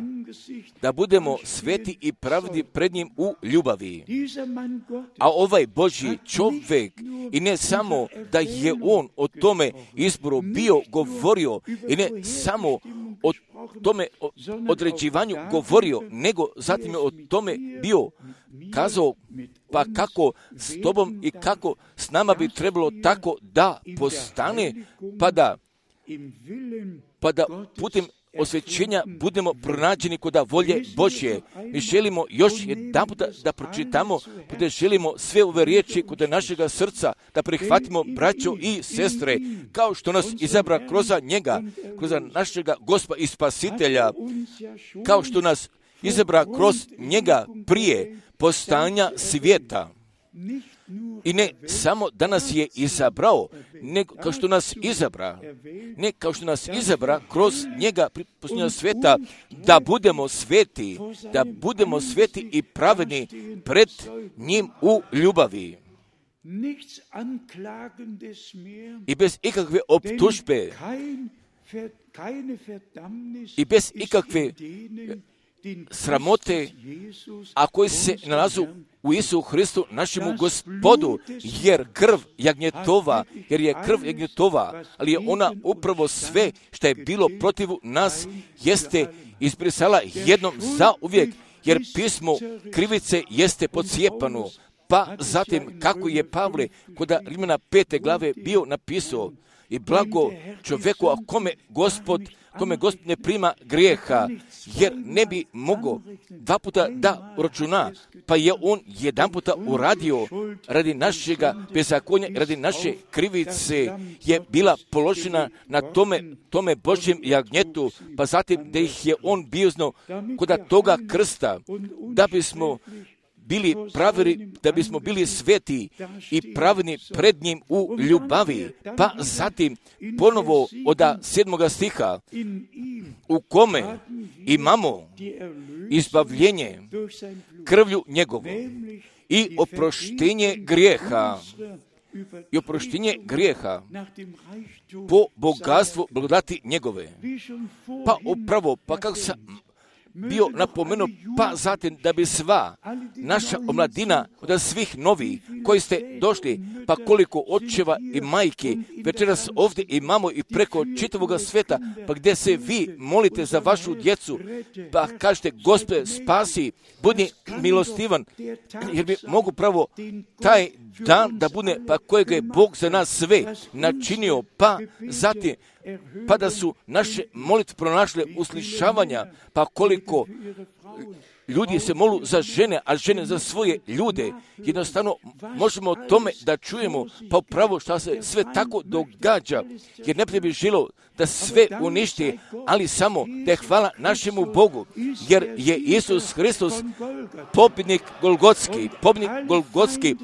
da budemo sveti i pravedni pred njim u ljubavi. A ovaj Božji čovjek, i ne samo da je on o tome izboru bio govorio, i ne samo o tome određivanju govorio, nego zatim je o tome bio kazao, pa kako s tobom i kako s nama bi trebalo tako da postane, pa da putem osvećenja budemo pronađeni kod volje Božje. Mi želimo još jedan puta da pročitamo, da želimo sve ove riječi kod našega srca da prihvatimo, braćo i sestre, kao što nas izabra kroz njega, kroz našega Gospa i Spasitelja, kao što nas izabra kroz njega prije postanja svijeta. I ne samo da nas je izabrao, nego kao što nas izabra kroz njega posljednjega sveta, da budemo sveti i pravedni pred njim u ljubavi. i bez ikakve optužbe i bez ikakve sramote, a koji se nalazu u Isu Hristu, našemu Gospodu, jer je krv jagnjetova, ali je ona upravo sve što je bilo protiv nas, jeste izbrisala jednom zauvijek, jer pismo krivice jeste pocijepano. Pa zatim, kako je Pavle kod Rimljana 5. glave bio napisao, i blago čovjeku, a kome Gospod ne prima grijeha, jer ne bi mogao dva puta da uračuna, pa je on jedan puta uradio radi našega bezakonja, radi naše krivice je bila položena na tome Božjem jagnjetu, pa zatim da ih je on biozno kod toga krsta, da bismo bili pravi, da bismo bili sveti i pravedni pred njim u ljubavi. Pa zatim ponovo od 7. stiha, u kome imamo izbavljenje krvlju njegovu i oproštenje grijeha po bogatstvu blagodati njegove. Pa upravo, pa kako sam bio napomenuo, pa zatim da bi sva naša omladina od svih novih koji ste došli, pa koliko očeva i majke večeras ovdje imamo i preko čitavoga sveta, pa gdje se vi molite za vašu djecu, pa kažete, Gospode, spasi, budi milostivan, jer bi mogu pravo taj dan da bude, pa kojega je Bog za nas sve načinio, pa zatim pa da su naše molitve pronašle uslišavanja, pa koliko ljudi se molu za žene, a žene za svoje ljude. Jednostavno možemo o tome da čujemo, pa upravo što se sve tako događa, jer ne bi želo da sve uništi, ali samo da je hvala našemu Bogu, jer je Isus Hristos pobjednik Golgotski,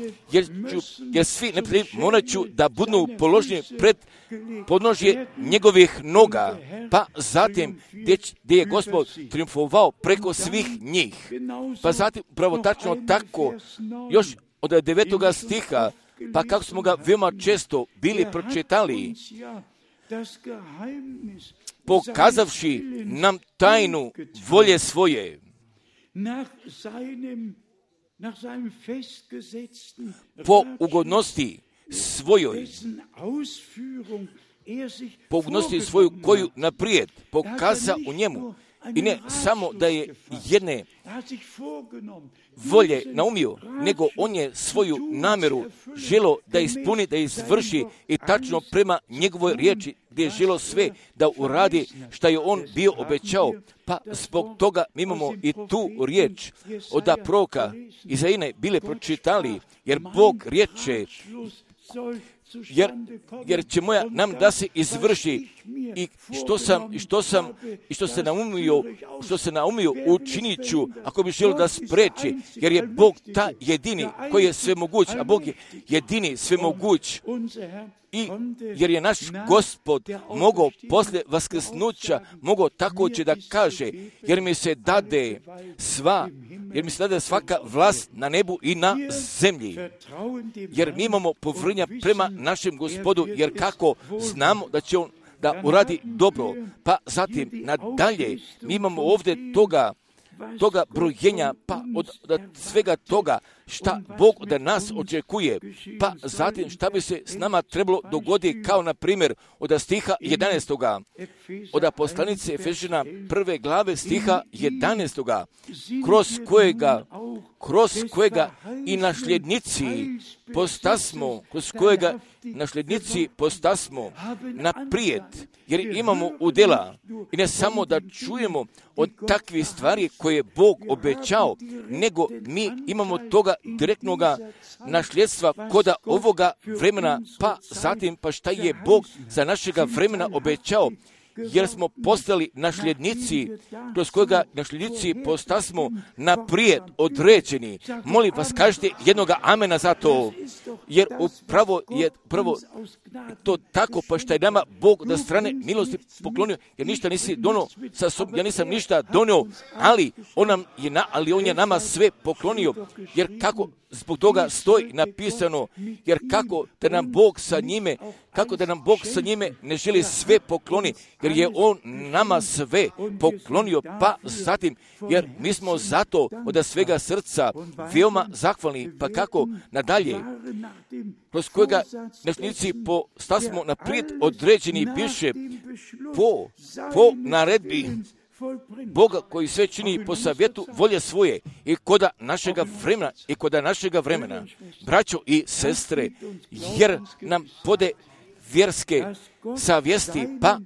jer svi neprijatelji morat ću da budu položeni pred podnožje njegovih noga, pa zatim gdje je Gospod triumfovao preko svih njih. Pa zatim upravo tačno tako, još od 9. stiha, pa kako smo ga veoma često bili pročitali, pokazavši nam tajnu volje svoje, po ugodnosti svojoj, po ugodnosti svoju koju naprijed pokaza u njemu. I ne samo da je jedne volje naumio, nego on je svoju namjeru želo da ispuni, da izvrši i tačno prema njegovoj riječi, gdje je želo sve da uradi što je on bio obećao. Pa zbog toga mi imamo i tu riječ od proroka Izaije bile pročitali, jer Bog riječe, jer će moja nam da se izvrši i što se naumio učinit ću, ako bi želio da spreči, jer je Bog ta jedini koji je svemoguć, a Bog je jedini svemoguć. I jer je naš Gospod mogao poslije vaskrsnuća, mogao također da kaže, jer mi se dade svaka vlast na nebu i na zemlji. Jer mi imamo povjerenja prema našem Gospodu, jer kako znamo da će on da uradi dobro. Pa zatim nadalje mi imamo ovdje toga brojenja, pa od svega toga šta Bog od nas očekuje, pa zatim šta bi se s nama trebalo dogoditi, kao na primjer od stiha 11. od poslanice Efežana 1. glave stiha 11. kroz kojega i nasljednici postasmo naprijed, jer imamo udjela i ne samo da čujemo od takvih stvari koje je Bog obećao, nego mi imamo toga direktnoga nasljedstva koda ovoga vremena, pa zatim pa šta je Bog za našega vremena obećao, jer smo postali nasljednici, kroz kojega nasljednici postasmo naprijed određeni. Molim vas, kažite jednoga amena za to, jer upravo je prvo to tako, pa što je nama Bog da strane milosti poklonio, jer ništa nisi donio sa sobom, ja nisam ništa donio, ali on je nama sve poklonio, jer kako zbog toga stoji napisano, jer kako da nam Bog sa njime ne želi sve pokloni, jer je on nama sve poklonio, pa zatim, jer mi smo zato od svega srca veoma zahvalni, pa kako nadalje, kroz kojega nasljednici postasmo naprijed određeni piše po naredbi Boga koji sve čini po savjetu volje svoje i koda našega vremena, braćo i sestre, jer nam pode vjerske savjesti, pa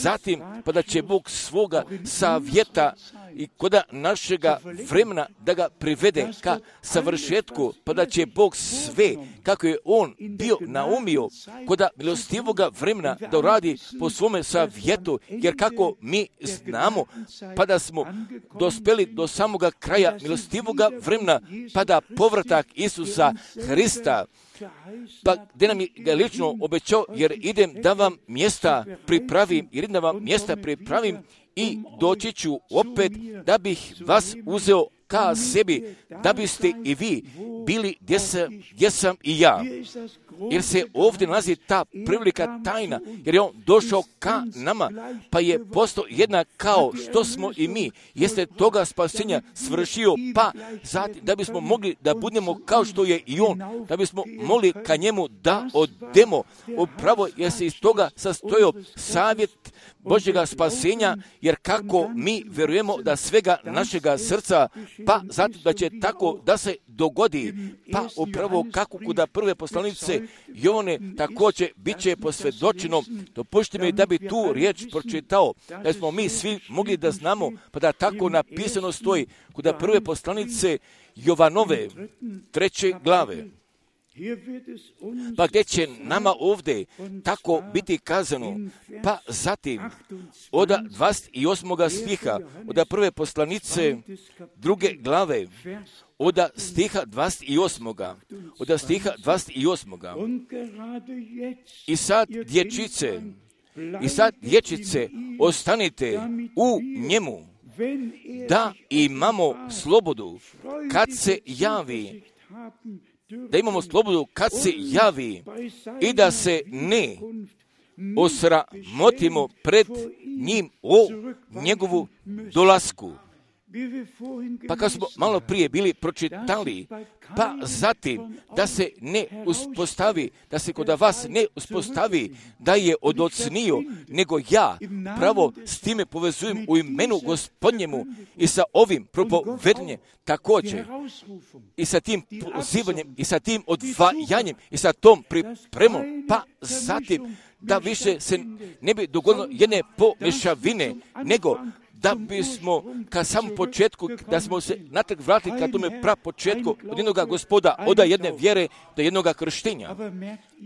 zatim, pa da će Bog svoga savjeta i koda našega vremena da ga privede ka savršetku, pa da će Bog sve, kako je on bio naumio, koda milostivoga vremena da uradi po svome savjetu, jer kako mi znamo, pa da smo dospeli do samoga kraja milostivoga vremena, pa da povratak Isusa Hrista, pa gdje nam je ga lično obećao, jer idem da vam mjesta pripravim, i doći ću opet da bih vas uzeo ka sebi, da biste i vi bili gdje sam i ja. Jer se ovdje nalazi ta prilika tajna, jer je on došao ka nama, pa je postao jednak kao što smo i mi. Jeste toga spasenja svršio, pa zatim da bismo mogli da budemo kao što je i on, da bismo mogli ka njemu da odemo. Upravo je se iz toga sastojao savjet Božjega spasenja, jer kako mi vjerujemo da svega našega srca, pa zatim da će tako da se dogodi, pa upravo kako kuda prve poslanice Jovane također bit će posvjedočeno. Dopušti mi da bi tu riječ pročitao, da smo mi svi mogli da znamo, pa da tako napisano stoji kuda prve poslanice Jovanove 3. glave. Pa gdje će nama ovdje tako biti kazano, pa zatim od 28. stiha, od prve poslanice 2. glave, od stiha 28. Od stiha 28. I sad dječice, ostanite u njemu, da imamo slobodu kad se javi, i da se ne osramotimo pred njim o njegovu dolasku. Pa kad smo malo prije bili pročitali, pa zatim da se ne uspostavi, da se kod vas ne uspostavi da je odocnio, nego ja pravo s time povezujem u imenu Gospodnjemu i sa ovim propovedanjem također, i sa tim pozivanjem, i sa tim odvajanjem, i sa tom pripremom, pa zatim da više se ne bi dogodilo jedne pomešavine, nego da bismo ka samom početku, da smo se natrag vratili ka tome prapočetku od jednoga Gospoda, od jedne vjere do jednoga krštenja.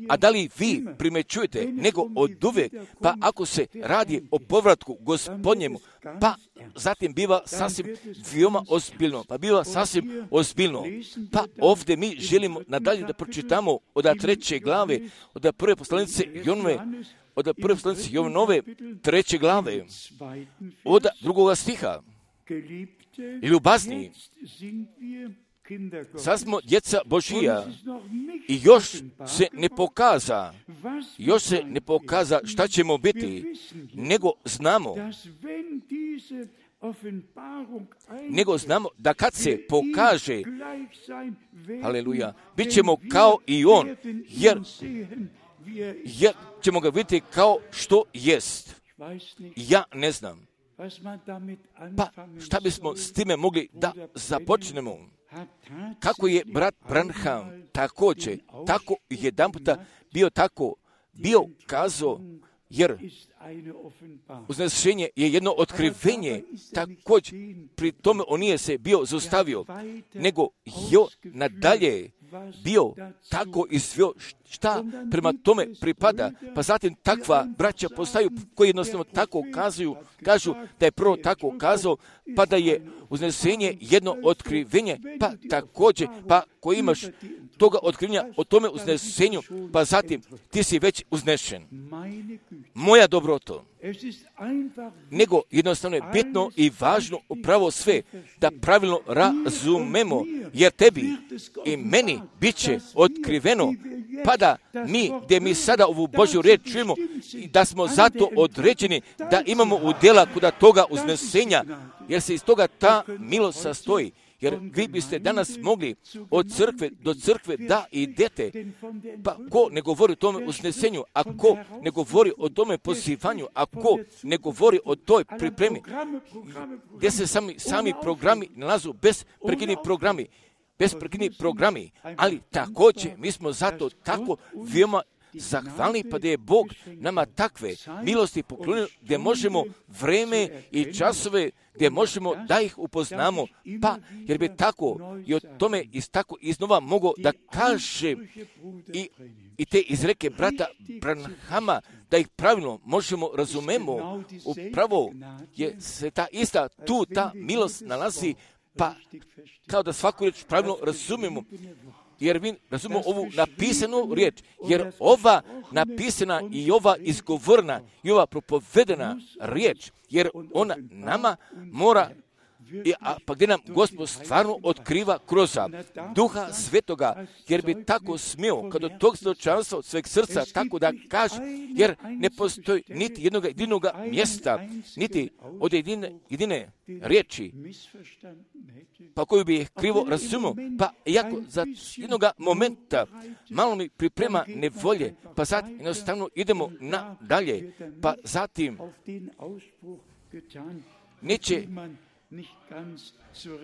A da li vi primećujete, nego od uvijek, pa ako se radi o povratku Gospodnjemu, pa zatim biva sasvim veoma ozbiljno. Pa ovdje mi želimo nadalje da pročitamo od 3. glave, od prve poslanice Jovanove 3. glave, od 2. stiha. Ljubazni, sad smo djeca Božija i još se ne pokaza šta ćemo biti, nego znamo da kad se pokaže, haleluja, bit ćemo kao i on, jer ćemo ga vidjeti kao što jest. Ja ne znam. Pa šta bismo s time mogli da započnemo? Kako je brat Branham također, tako jedanputa bio kazao, jer uznešenje je jedno otkrivenje, također pri tome on nije se bio zaustavio, nego nadalje bio tako izveo šta prema tome pripada, pa zatim takva braća postaju koji jednostavno tako kažu da je prvo tako kazao, pa da je uznesenje jedno otkrivenje, pa također, pa koji imaš toga otkrivenja o tome uznesenju, pa zatim ti si već uznešen. Moja dobroto, nego jednostavno je bitno i važno upravo sve da pravilno razumemo, jer tebi i meni bit će otkriveno, pa da mi, gdje mi sada ovu Božju riječ čujemo, da smo zato određeni da imamo udjela kod toga uznesenja, jer se iz toga ta milost sastoji. Jer vi biste danas mogli od crkve do crkve da idete, pa ko ne govori o tome uznesenju, a ko ne govori o tome pozivanju, a ko ne govori o toj pripremi, gdje se sami programi nalazu, besprekidni programi, ali također mi smo zato tako veoma zahvalni, pa da je Bog nama takve milosti poklonio, gdje možemo vreme i časove, gdje možemo da ih upoznamo, pa jer bi tako i o tome tako iznova mogao da kaže i te izreke brata Branhama, da ih pravilno možemo razumemo, upravo je se ta ista tu ta milost nalazi, pa kao da svaku riječ pravilno razumemo. Jer mi razumemo ovu napisanu riječ, jer ova napisana i ova izgovorna i ova propovedena riječ, jer ona nama mora, pa gdje nam Gospod stvarno otkriva kroz Duha Svetoga, jer bi tako smio, kad od tog svjedočanstva od sveg srca tako da kaže, jer ne postoji niti jednog jedinog mjesta, niti od jedine riječi, pa koju bi krivo razumio, pa iako za jednog momenta malo mi priprema nevolje, pa zatim jednostavno idemo nadalje, pa zatim neće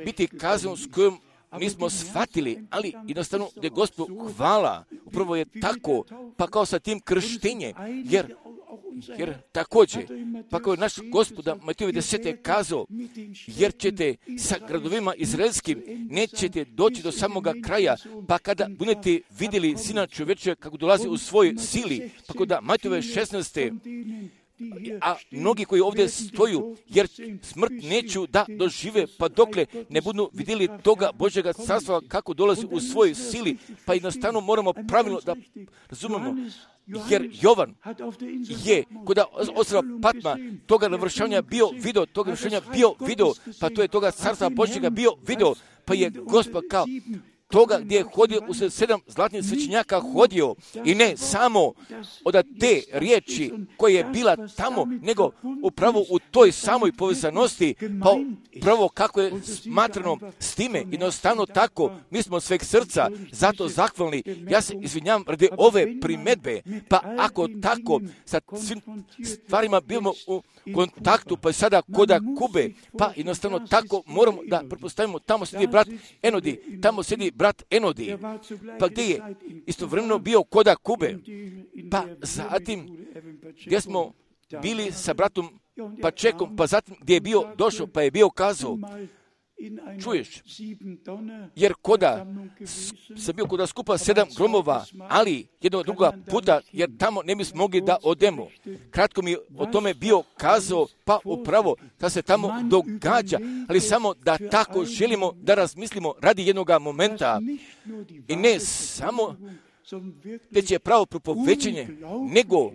biti kaznom s kojom nismo shvatili, ali jednostavno da je Gospod hvala, upravo je tako, pa kao sa tim krštenjem, jer također, pa kao je naš Gospoda Matiju 10. kazao, jer ćete sa gradovima izraelskim, nećete doći do samoga kraja, pa kada budete vidjeli Sina čovječega kako dolazi u svojoj sili, pa kao da Matijove 16. A mnogi koji ovdje stoju, jer smrt neću da dožive, pa dokle ne budu vidjeli toga Božjega carstva kako dolazi u svojoj sili, pa jednostavno moramo pravilno da razumemo, jer Jovan je kod ostrva Patma toga navršavanja bio video, pa to je toga carstva Božjega bio video, pa je Gospod kao toga gdje je hodio u 7 zlatnih svećenjaka hodio i ne samo od te riječi koja je bila tamo, nego upravo u toj samoj povezanosti, pa upravo kako je smatrano s time, jednostavno tako, mi smo sveg srca zato zahvalni. Ja se izvinjavam radi ove primedbe, pa ako tako sa svim stvarima bimo u kontaktu, pa sada koda Kube, pa jednostavno tako moramo da pretpostavimo, tamo sjedi brat Enodi, pa gdje je istovremeno bio koda Kube, pa zatim gdje smo bili sa bratom Pačekom, pa zatim gdje je bio došao, pa je bio kazao, čuješ, jer koda sam bio koda skupa 7 gromova, ali jednog druga puta, jer tamo ne bismo mogli da odemo. Kratko mi o tome bio kazao, pa upravo da se tamo događa, ali samo da tako želimo da razmislimo radi jednog momenta i ne samo već je pravo propovećenje, nego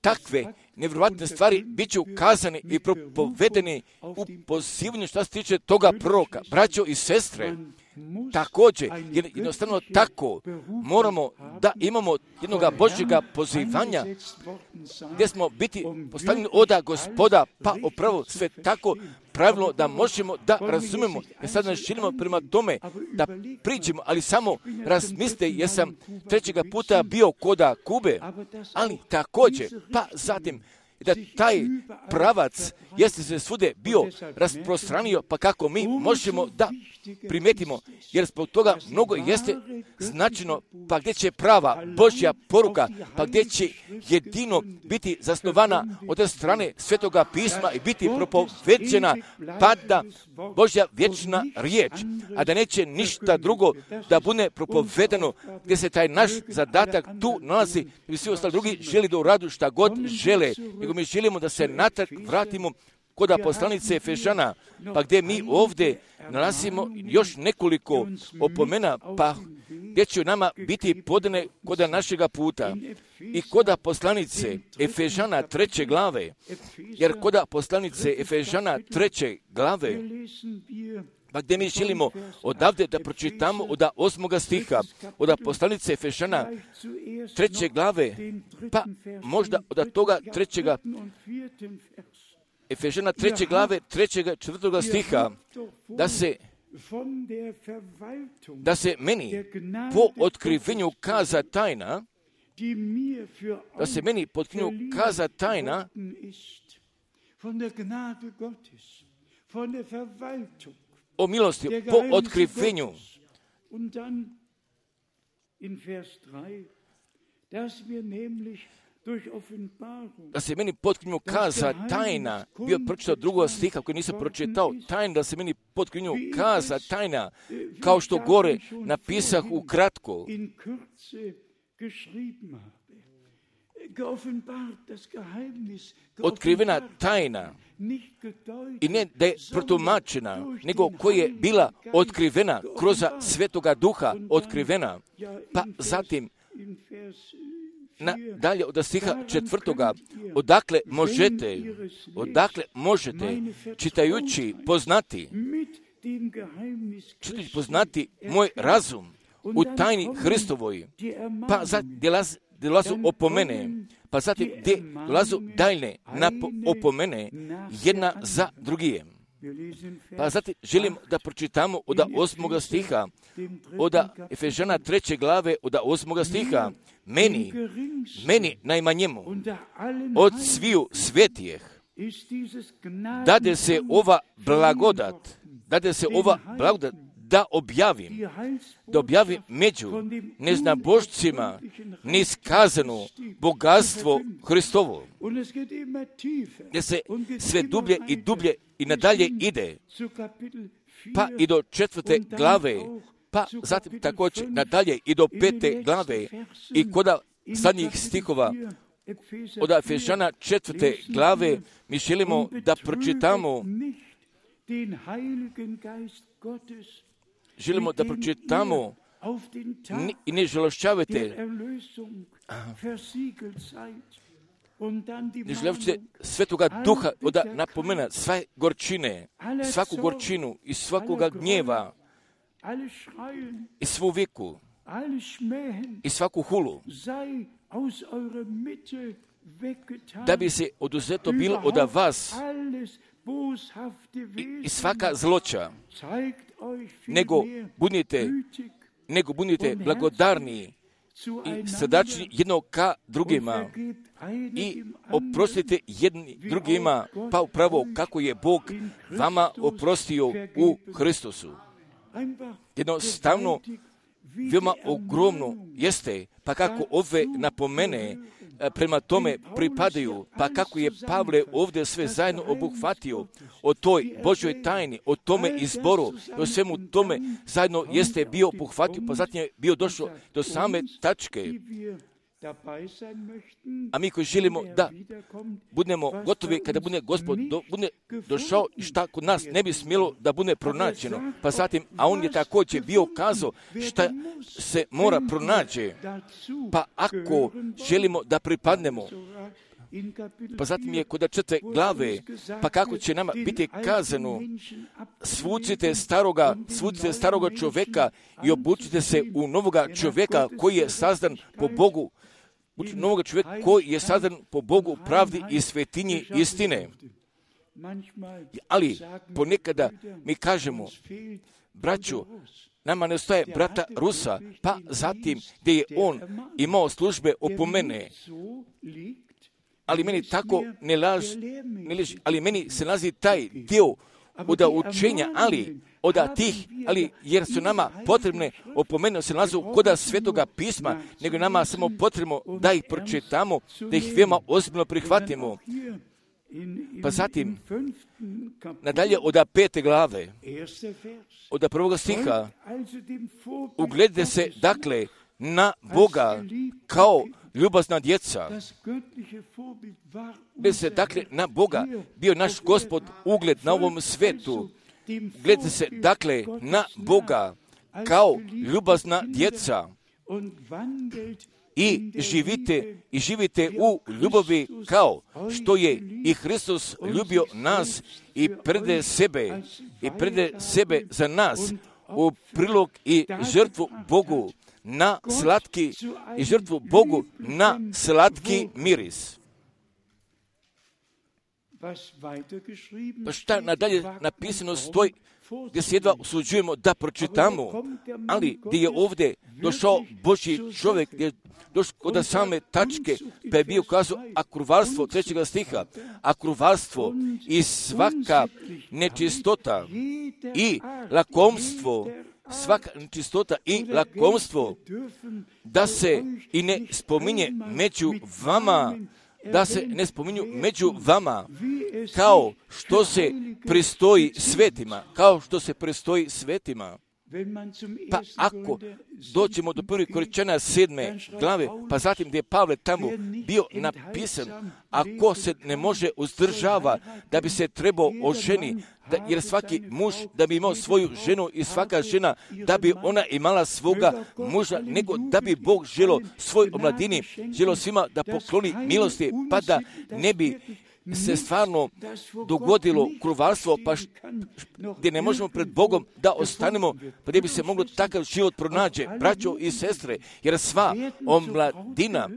takve nevjerovatne stvari bit će ukazane i propovedene u pozivanju što se tiče toga proroka. Braćo i sestre, također, jednostavno tako, moramo da imamo jednoga Božjega pozivanja, gdje smo biti postavljeni oda Gospoda, pa upravo sve tako pravilno da možemo da razumemo. Jer sad ne želimo prema tome da priđemo, ali samo razmislite, jer sam 3. puta bio koda Kube, ali također, pa zatim, da taj pravac jeste se svude bio rasprostranio, pa kako mi možemo da primetimo, jer zbog toga mnogo jeste značajno, pa gdje će prava Božja poruka, pa gdje će jedino biti zasnovana od strane Svetoga pisma i biti propoveđena pada Božja vječna riječ, a da neće ništa drugo da bude propovedano, gdje se taj naš zadatak tu nalazi i svi ostali drugi želi da uradu šta god žele, nego mi želimo da se natrag vratimo kod poslanice Efežana, pa gdje mi ovdje nalazimo još nekoliko opomena, pa gdje će nama biti podane kod našega puta. I kod poslanice Efežana 3. glave, jer kod poslanice Efežana 3. glave, pa gdje mi želimo odavde da pročitamo od 8. stiha, od poslanice Efežana 3. glave, pa možda od toga 3. Efežana 3. glave 3. 4. stiha, da se meni po otkrivenju kaza tajna, o milosti, po otkrivenju. Da se meni potkrinju kaza tajna, bio pročitao 2. stiha koji nisam pročitao, tajna, da se meni potkrinju kaza tajna, kao što gore napisah ukratko. Otkrivena tajna, i ne da je protumačena, nego koja je bila otkrivena kroz Svetoga Duha, otkrivena, pa zatim dalje od stiha 4. odakle možete čitajući poznati moj razum u tajni Hristovoj, pa dolazu opomene, pa zatim gdje dolazu daljne opomene jedna za drugije. Pa zatim želim da pročitamo od 8. stiha, od Efežana 3. glave, od 8. stiha, meni najmanjemu od sviju svetijeh dade se ova blagodat da objavim među neznabošcima niskazano bogatstvo Hristovo, gdje se sve dublje i dublje i nadalje ide, pa i do 4. glave, pa zatim također nadalje i do 5. glave i kod zadnjih stihova od Efežana 4. glave mi želimo da pročitamo i ne žalošćavate Svetoga Duha da napomena sve gorčine, svaku gorčinu i svakoga gnjeva i svu viku i svaku hulu, da bi se oduzeto bilo od vas i svaka zloća, nego budite blagodarni i srdačni jednog ka drugima i oprostite jedni drugima, pa upravo kako je Bog vama oprostio u Hristosu. Jednostavno, veoma ogromno jeste, pa kako ove napomene prema tome pripadaju, pa kako je Pavle ovdje sve zajedno obuhvatio o toj Božoj tajni, o tome izboru, o svemu tome zajedno jeste bio obuhvatio, pa zatim je bio došao do same tačke. A mi koji želimo da budemo gotovi kada bude Gospod bude došao i šta kod nas ne bi smjelo da bude pronađeno. Pa zatim, a on je također bio kazao šta se mora pronaći. Pa ako želimo da pripadnemo, pa zatim je kod 4. glave, pa kako će nama biti kazano, svucite staroga čovjeka i obučite se u novoga čovjeka koji je sazdan po Bogu, novoga čovjeka koji je sazdan po Bogu pravdi i svetinji istine. Ali ponekada mi kažemo, braćo, nama ne ostaje brata Rusa, pa zatim gdje je on imao službe opomene, ali meni tako ne leži, ali meni se nalazi taj dio od učenja, ali jer su nama potrebne opomene se nalazu koda Svetoga pisma, nego nama samo potrebno da ih pročitamo, da ih veoma ozbiljno prihvatimo. Pa zatim, nadalje od 5. glave, od 1. stiha, ugledajte se, dakle, na Boga kao ljubazna djeca. Gledajte se, dakle, na Boga, bio naš Gospod ugled na ovom svetu. Gledajte se, dakle, na Boga kao ljubazna djeca i živite u ljubavi kao što je i Hristos ljubio nas i prede sebe za nas u prilog i žrtvu Bogu na slatki miris. Pa šta nadalje napisano stoji, gdje se jedva usuđujemo da pročitamo, ali gdje je ovdje došao Božji čovjek, gdje je došao do same tačke, pa je bio kazao akruvarstvo 3. stiha, akruvarstvo i svaka nečistota i lakomstvo, da se i ne spominje među vama, kao što se pristoji svetima. Pa ako doćemo do 1. Korinćana 7. glave, pa zatim gdje je Pavle tamo bio napisan, ako se ne može uzdržava da bi se trebao oženi, jer svaki muž da bi imao svoju ženu i svaka žena da bi ona imala svoga muža, nego da bi Bog želio svoj omladini, želio svima da pokloni milosti, pa da ne bi se stvarno dogodilo kruvarstvo, pa gdje ne možemo pred Bogom da ostanemo, pa gdje bi se moglo takav život pronađe, braćo i sestre, jer sva omladina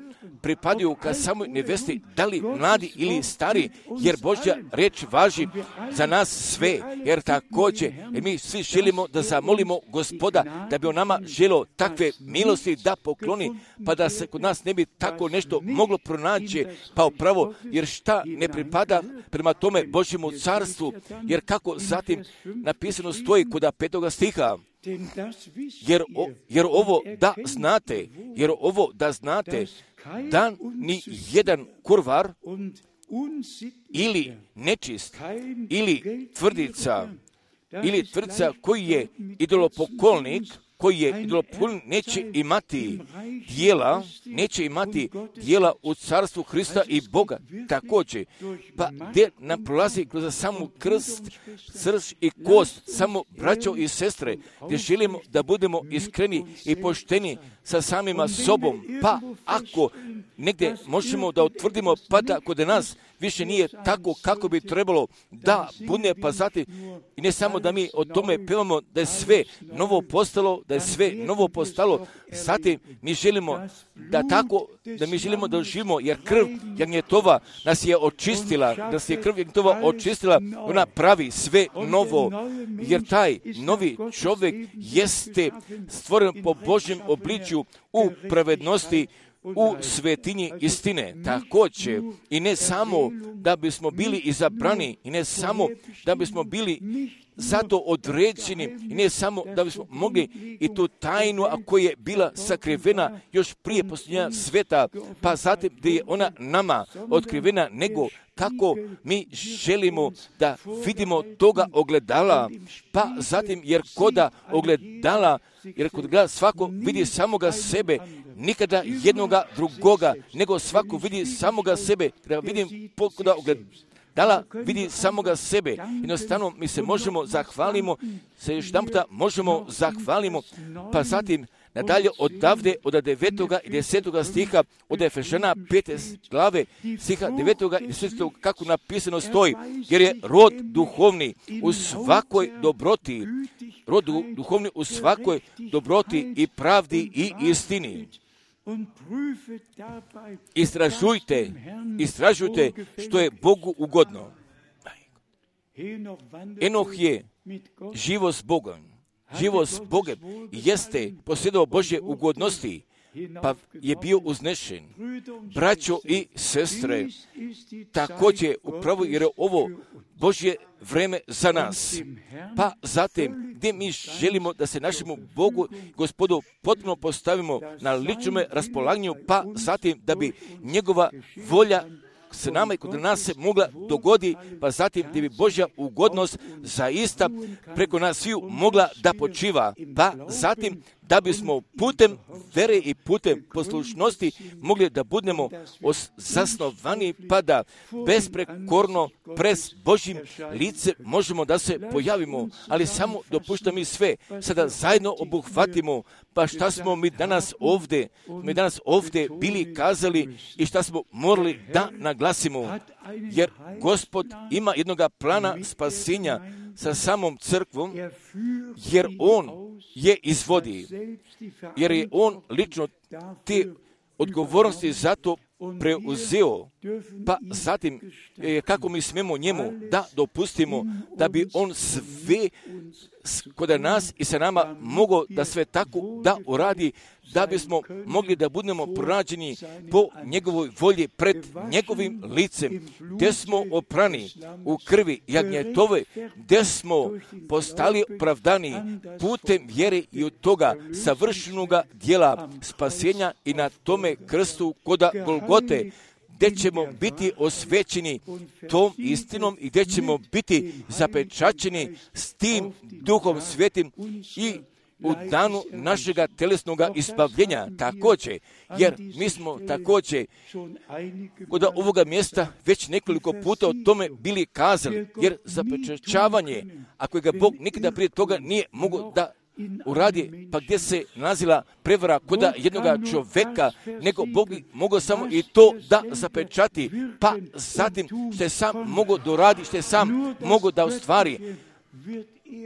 pripadaju ka samoj nevesti, da li mladi ili stari, jer Božja riječ važi za nas sve, jer također, jer mi svi želimo da zamolimo Gospoda, da bi on nama želio takve milosti da pokloni, pa da se kod nas ne bi tako nešto moglo pronaći, pa upravo, jer šta ne pripada prema tome Božjemu carstvu, jer kako zatim napisano stoji kod 5. stiha, jer ovo da znate, da ni jedan kurvar ili nečist ili tvrdica koji je idolopoklonnik, neće imati dijela u carstvu Hrista i Boga. Također, pa gdje nam prolazi kroz samu krst, srž i kost, samo braćo i sestre, gdje želimo da budemo iskreni i pošteni sa samima sobom, pa ako negdje možemo da utvrdimo, pa da kod nas više nije tako kako bi trebalo da bude, pa zatim i ne samo da mi o tome pevamo da je sve novo postalo, zatim mi želimo da živimo, jer krv jagnjetova nas je očistila, ona pravi sve novo, jer taj novi čovjek jeste stvoren po Božjem obličju u pravednosti, u svetinji istine. Također, i ne samo da bismo bili izabrani, i ne samo da bismo bili zato određeni, i ne samo da bismo mogli i tu tajnu, a koja je bila sakrivena još prije posljednja sveta, pa zatim gdje je ona nama otkrivena, nego kako mi želimo da vidimo toga ogledala, pa zatim jer koda ogledala, jer kod gleda svako vidi samoga sebe, nikada jednoga drugoga, nego svako vidi samoga sebe, treba vidim koda ogledala vidi samoga sebe. Jednostavno mi se možemo zahvalimo, pa zatim nadalje odavde od 9. i 10. stiha od Efežana 5. glave stiha 9. i 10. kako napisano stoji, jer je rod duhovni u svakoj dobroti, i pravdi i istini. Istražujte što je Bogu ugodno. Enoh je živo s Bogom jeste posjedao Božje ugodnosti, pa je bio uznešen. Braćo i sestre, također upravo jer je ovo Božje vreme za nas. Pa zatim, gdje mi želimo da se našemu Bogu, Gospodu, potpuno postavimo na ličnome raspolaganju, pa zatim da bi njegova volja s nama i kod nas se mogla dogodi, pa zatim da bi Božja ugodnost zaista preko nas sviju mogla da počiva, pa zatim da bismo putem vere i putem poslušnosti mogli da budemo zasnovani, pa da besprekorno pred Božjim lice možemo da se pojavimo, ali samo dopušta mi sve, sada zajedno obuhvatimo, pa šta smo mi danas ovdje bili kazali i šta smo morali da naglasimo, jer Gospod ima jednoga plana spasenja sa samom crkvom, jer On je izvodi, jer je On lično te odgovornosti za to preuzeo, pa zatim kako mi smemo njemu da dopustimo da bi on sve kod nas i sa nama mogao da sve tako da uradi, da bismo mogli da budemo pronađeni po njegovoj volji pred njegovim licem, gdje smo oprani u krvi jagnjetove, gdje smo postali opravdani putem vjere i od toga savršenoga djela spasenja i na tome krstu koda Golgote, gdje ćemo biti osvećeni tom istinom i gdje ćemo biti zapečaćeni s tim Duhom Svetim i u danu našega telesnoga izbavljenja također, jer mi smo također kod ovoga mjesta već nekoliko puta o tome bili kazali, jer zapečaćavanje, ako ga Bog nikada prije toga nije mogao da uradi, pa gdje se nalazila prevara kod jednoga čovjeka, nego Bog bi mogao samo i to da zapečati, pa zatim što je sam mogao doradi, što je sam mogao da ostvari,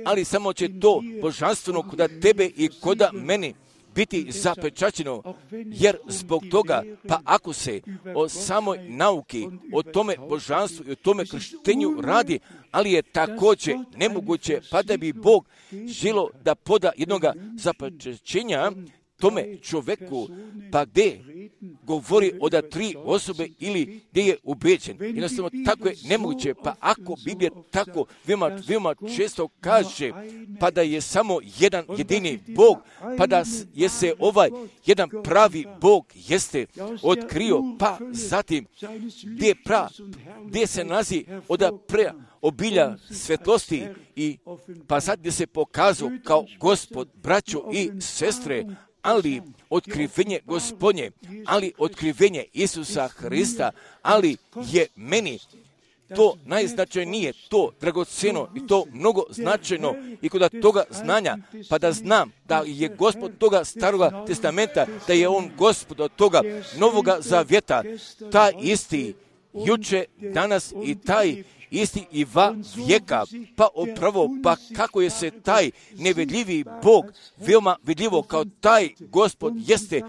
ali samo će to božanstveno kod tebe i kod meni biti zapečaćeno, jer zbog toga, pa ako se o samoj nauki, o tome božanstvu i o tome krštenju radi, ali je također nemoguće, pa da bi Bog želio da poda jednoga zapečaćenja tome čovjeku, pa gdje govori o da 3 osobe ili gdje je ubeđen. Jednostavno tako je nemoguće, pa ako Biblija tako veoma često kaže, pa da je samo jedan jedini Bog, pa da je se ovaj jedan pravi Bog jeste otkrio, pa zatim gdje se nalazi od obilja svetlosti i pa sad gdje se pokazao kao Gospod, braćo i sestre, ali otkrivenje Gospodnje, ali otkrivenje Isusa Hrista, ali je meni to najznačajnije, to dragocjeno i to mnogo značajno i kod toga znanja, pa da znam da je Gospod toga staroga testamenta, da je On Gospod od toga novoga zavjeta, taj isti juče, danas i taj isti i vijeka, pa upravo, pa kako je se taj nevidljivi Bog veoma vidljivo kao taj Gospod jeste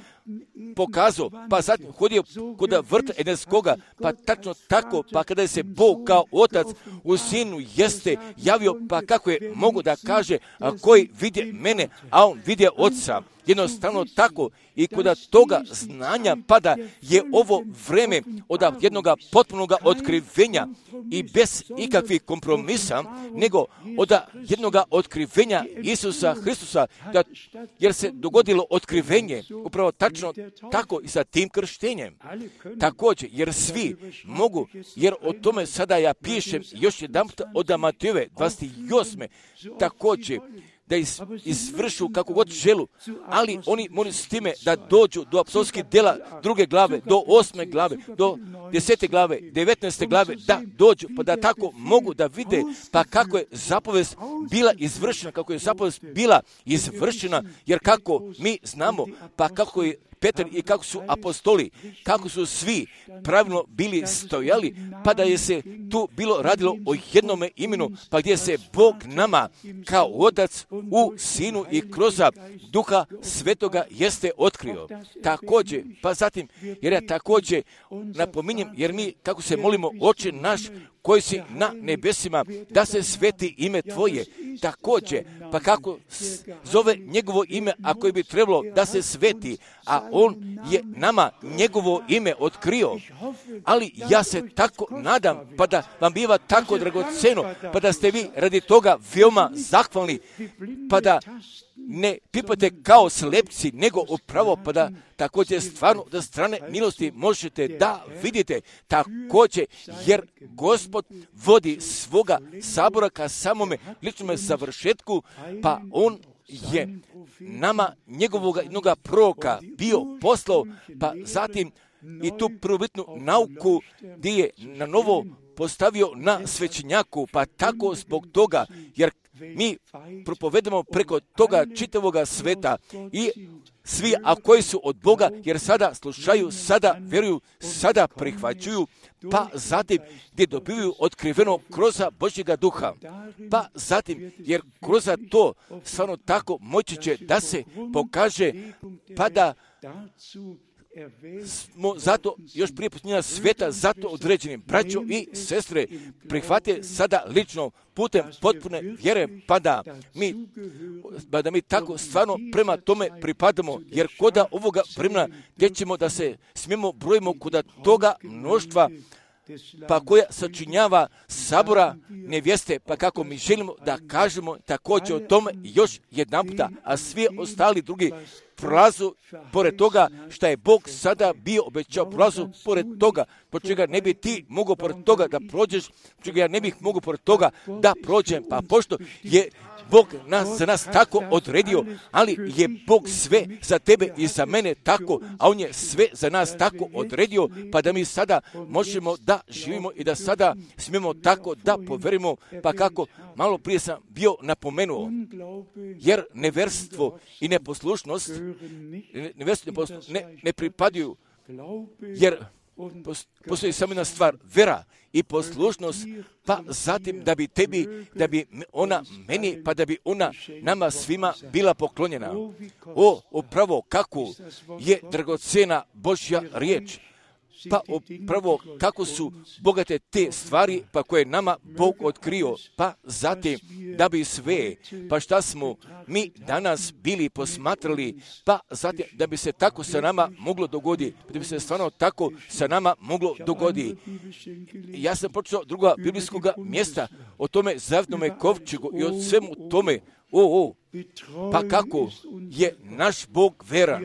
pokazao, pa zatim hodio kod vrta Edenskoga, pa tačno tako, pa kada je se Bog kao Otac u Sinu jeste javio, pa kako je mogu da kaže, a koji vidje mene, a on vidje Otca. Jednostavno tako i kod toga znanja pada je ovo vreme od jednoga potpunoga otkrivenja i bez ikakvih kompromisa, nego od jednoga otkrivenja Isusa Hristusa, jer se dogodilo otkrivenje upravo tačno tako i sa tim krštenjem. Također, jer svi mogu, jer o tome sada ja pišem još jedan od Matejove 28. također, da izvršu kako god želu, ali oni moraju s time da dođu do apostolskih djela 2. glave, do 8. glave, do 10. glave, 19. glave, da dođu, pa da tako mogu da vide, pa kako je zapovest bila izvršena, kako je zapovest bila izvršena, jer kako mi znamo, pa kako je Petar i kako su apostoli, kako su svi pravilno bili stojali, pa da je se tu bilo radilo o jednome imenu, pa gdje se Bog nama kao Otac u Sinu i kroz Duha Svetoga jeste otkrio. Također, pa zatim, jer ja također napominjem, jer mi kako se molimo, Oče naš koji si na nebesima, da se sveti ime Tvoje, također, pa kako zove njegovo ime, ako bi trebalo da se sveti, a on je nama njegovo ime otkrio. Ali ja se tako nadam, pa da vam biva tako dragoceno, pa da ste vi radi toga veoma zahvalni, pa da ne pipate kao slepci, nego upravo, pa da također stvarno da strane milosti možete da vidite također, jer Gospod vodi svoga sabora ka samome ličnome završetku, pa on je nama njegovog jednoga proroka bio poslao, pa zatim i tu prvobitnu nauku gdje je na novo postavio na svećenjaku, pa tako zbog toga, jer mi propovedamo preko toga čitavoga sveta i svi, a koji su od Boga, jer sada slušaju, sada vjeruju, sada prihvaćuju, pa zatim gdje dobivaju otkriveno kroz Božjega duha. Pa zatim, jer kroz to stvarno tako moći će da se pokaže, pa da smo zato još prije posljednja sveta zato određeni braćo i sestre prihvate sada lično putem potpune vjere, pa da mi tako stvarno prema tome pripadamo, jer koda ovoga vremena gdje ćemo da se smijemo brojimo koda toga mnoštva, pa koja sačinjava sabora nevjeste, pa kako mi želimo da kažemo također o tome još jedan puta, a svi ostali drugi prolazu pored toga što je Bog sada bio obećao, prolazu pored toga, po čega ne bi ti mogao pored toga da prođeš, po čega ja ne bih mogao pored toga da prođem, pa pošto je Bog za nas tako odredio, ali je Bog sve za tebe i za mene tako, a On je sve za nas tako odredio, pa da mi sada možemo da živimo i da sada smijemo tako da poverimo, pa kako malo prije sam bio napomenuo, jer neverstvo i neposlušnost ne pripadaju, jer postoji samo jedna stvar, vera i poslušnost, pa zatim da bi ona meni, pa da bi ona nama svima bila poklonjena. Upravo kako je dragocena Božja riječ, pa upravo kako su bogate te stvari, pa koje nama Bog otkrio, pa zatim da bi sve, pa šta smo mi danas bili posmatrali, pa zatim da bi se tako sa nama moglo dogoditi, da bi se stvarno tako sa nama moglo dogoditi. Ja sam počeo druga biblijskoga mjesta o tome zavjetnome kovčegu i o svemu tome, pa kako je naš Bog veran,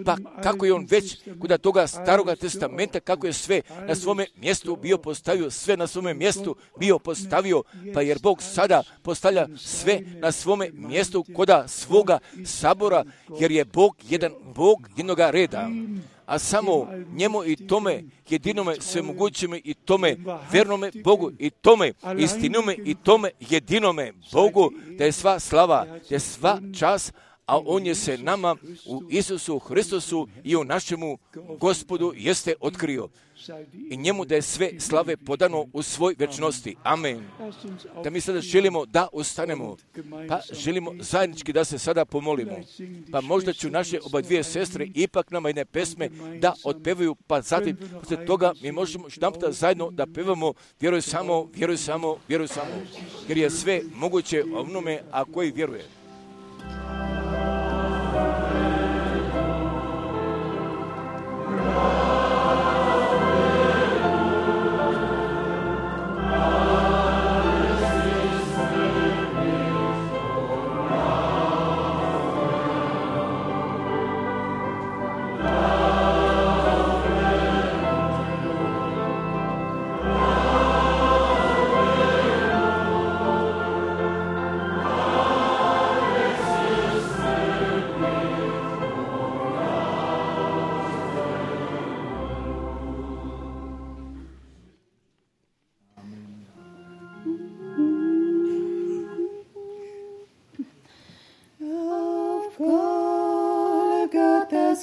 pa kako je On već kod toga staroga testamenta, kako je sve na svome mjestu bio postavio, sve na svome mjestu bio postavio, pa jer Bog sada postavlja sve na svome mjestu koda svoga sabora, jer je Bog jedan Bog jednoga reda. A samo njemu i tome jedinome svemogućime i tome vernome Bogu i tome istinome i tome jedinome Bogu da je sva slava, da je sva čast, a On je se nama u Isusu Hristosu i u našemu Gospodu jeste otkrio. I njemu da je sve slave podano u svoj večnosti. Amen. Da mi sada želimo da ustanemo, pa želimo zajednički da se sada pomolimo. Pa možda ću naše oba dvije sestre ipak nama jedne pesme da otpevaju, pa zatim poslije toga mi možemo štamputa zajedno da pevamo vjeruj samo, vjeruj samo, vjeruj samo. Jer je sve moguće onome a koji vjeruje.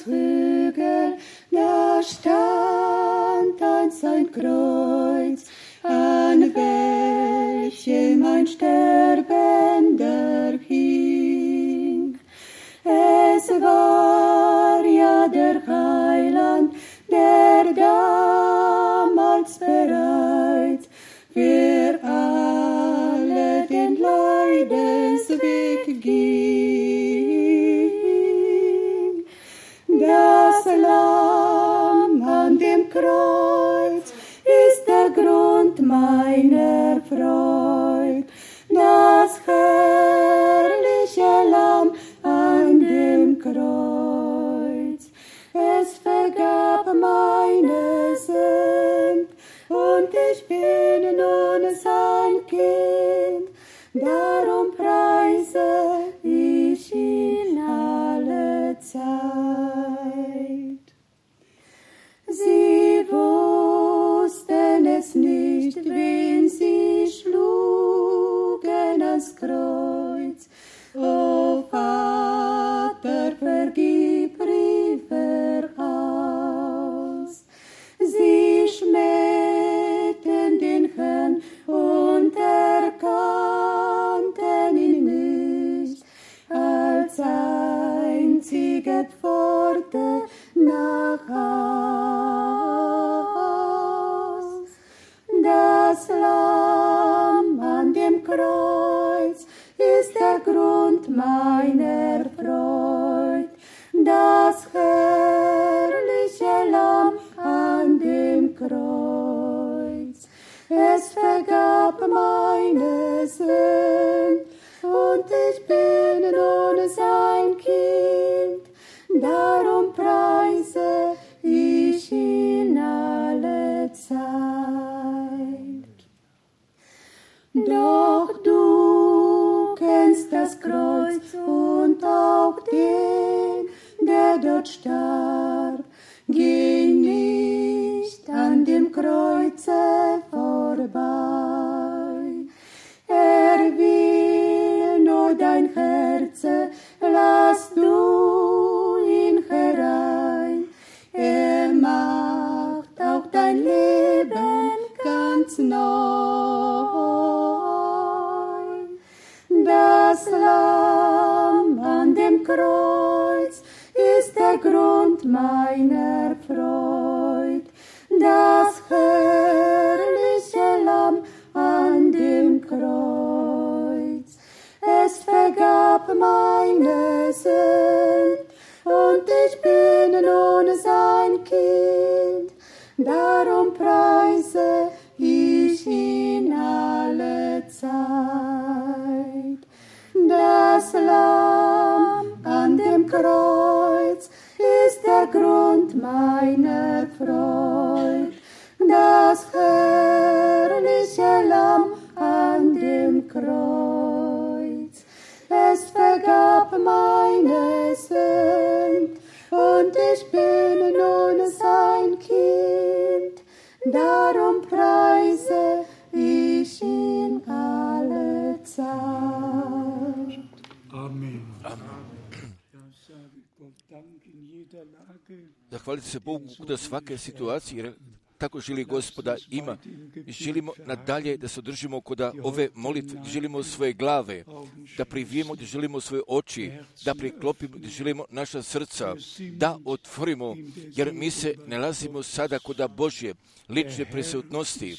Hügel, da stand einst ein Kreuz, an welchem ein Sterbender hing. Es war ja der Heiland, der damals bereit für alle den Leiden Kreuz ist der Grund meiner Freud. Das herrliche Lamm an dem Kreuz. Es vergab meine Sünd und ich bin nun sein Kind. Darum preise ich ihn alle Zeit. Sie wussten es nicht, wen sie schlugen ans Kreuz. O Vater, vergib, rief er aus. Sie schmähten den Herrn und erkannten ihn nicht als einzige Pforte nach Haus. Das Lamm an dem Kreuz ist der Grund meiner Freud. Das herrliche Lamm an dem Kreuz. Es vergab meine Sünd und ich bin nun sein Kind. Darum preise ich ihn alle Zeit. Doch du kennst das Kreuz und auch den, der dort starb. Geh nicht an dem Kreuze vorbei. Er will nur dein Herz, lass du ihn herein. Er macht auch dein Leben ganz neu. Das Lamm an dem Kreuz ist der Grund meiner Freud. Das herrliche Lamm an dem Kreuz. Es vergab meine Sünd und ich bin nun sein Kind. Darum preise ich ihn alle Zeit. Das Lamm an dem Kreuz ist der Grund meiner Freud. Das herrliche Lamm an dem Kreuz. Es vergab meine Sünd und ich bin nun sein Kind. Darum preise ich ihn alle Zeit. Amen. Zahvalite se Bogu da svake situacije, jer tako želi Gospoda ima. Želimo nadalje da se održimo kod ove molitve, želimo svoje glave, da privijemo, da želimo svoje oči, da priklopimo, da želimo naša srca, da otvorimo, jer mi se nalazimo sada kod Božje lične prisutnosti,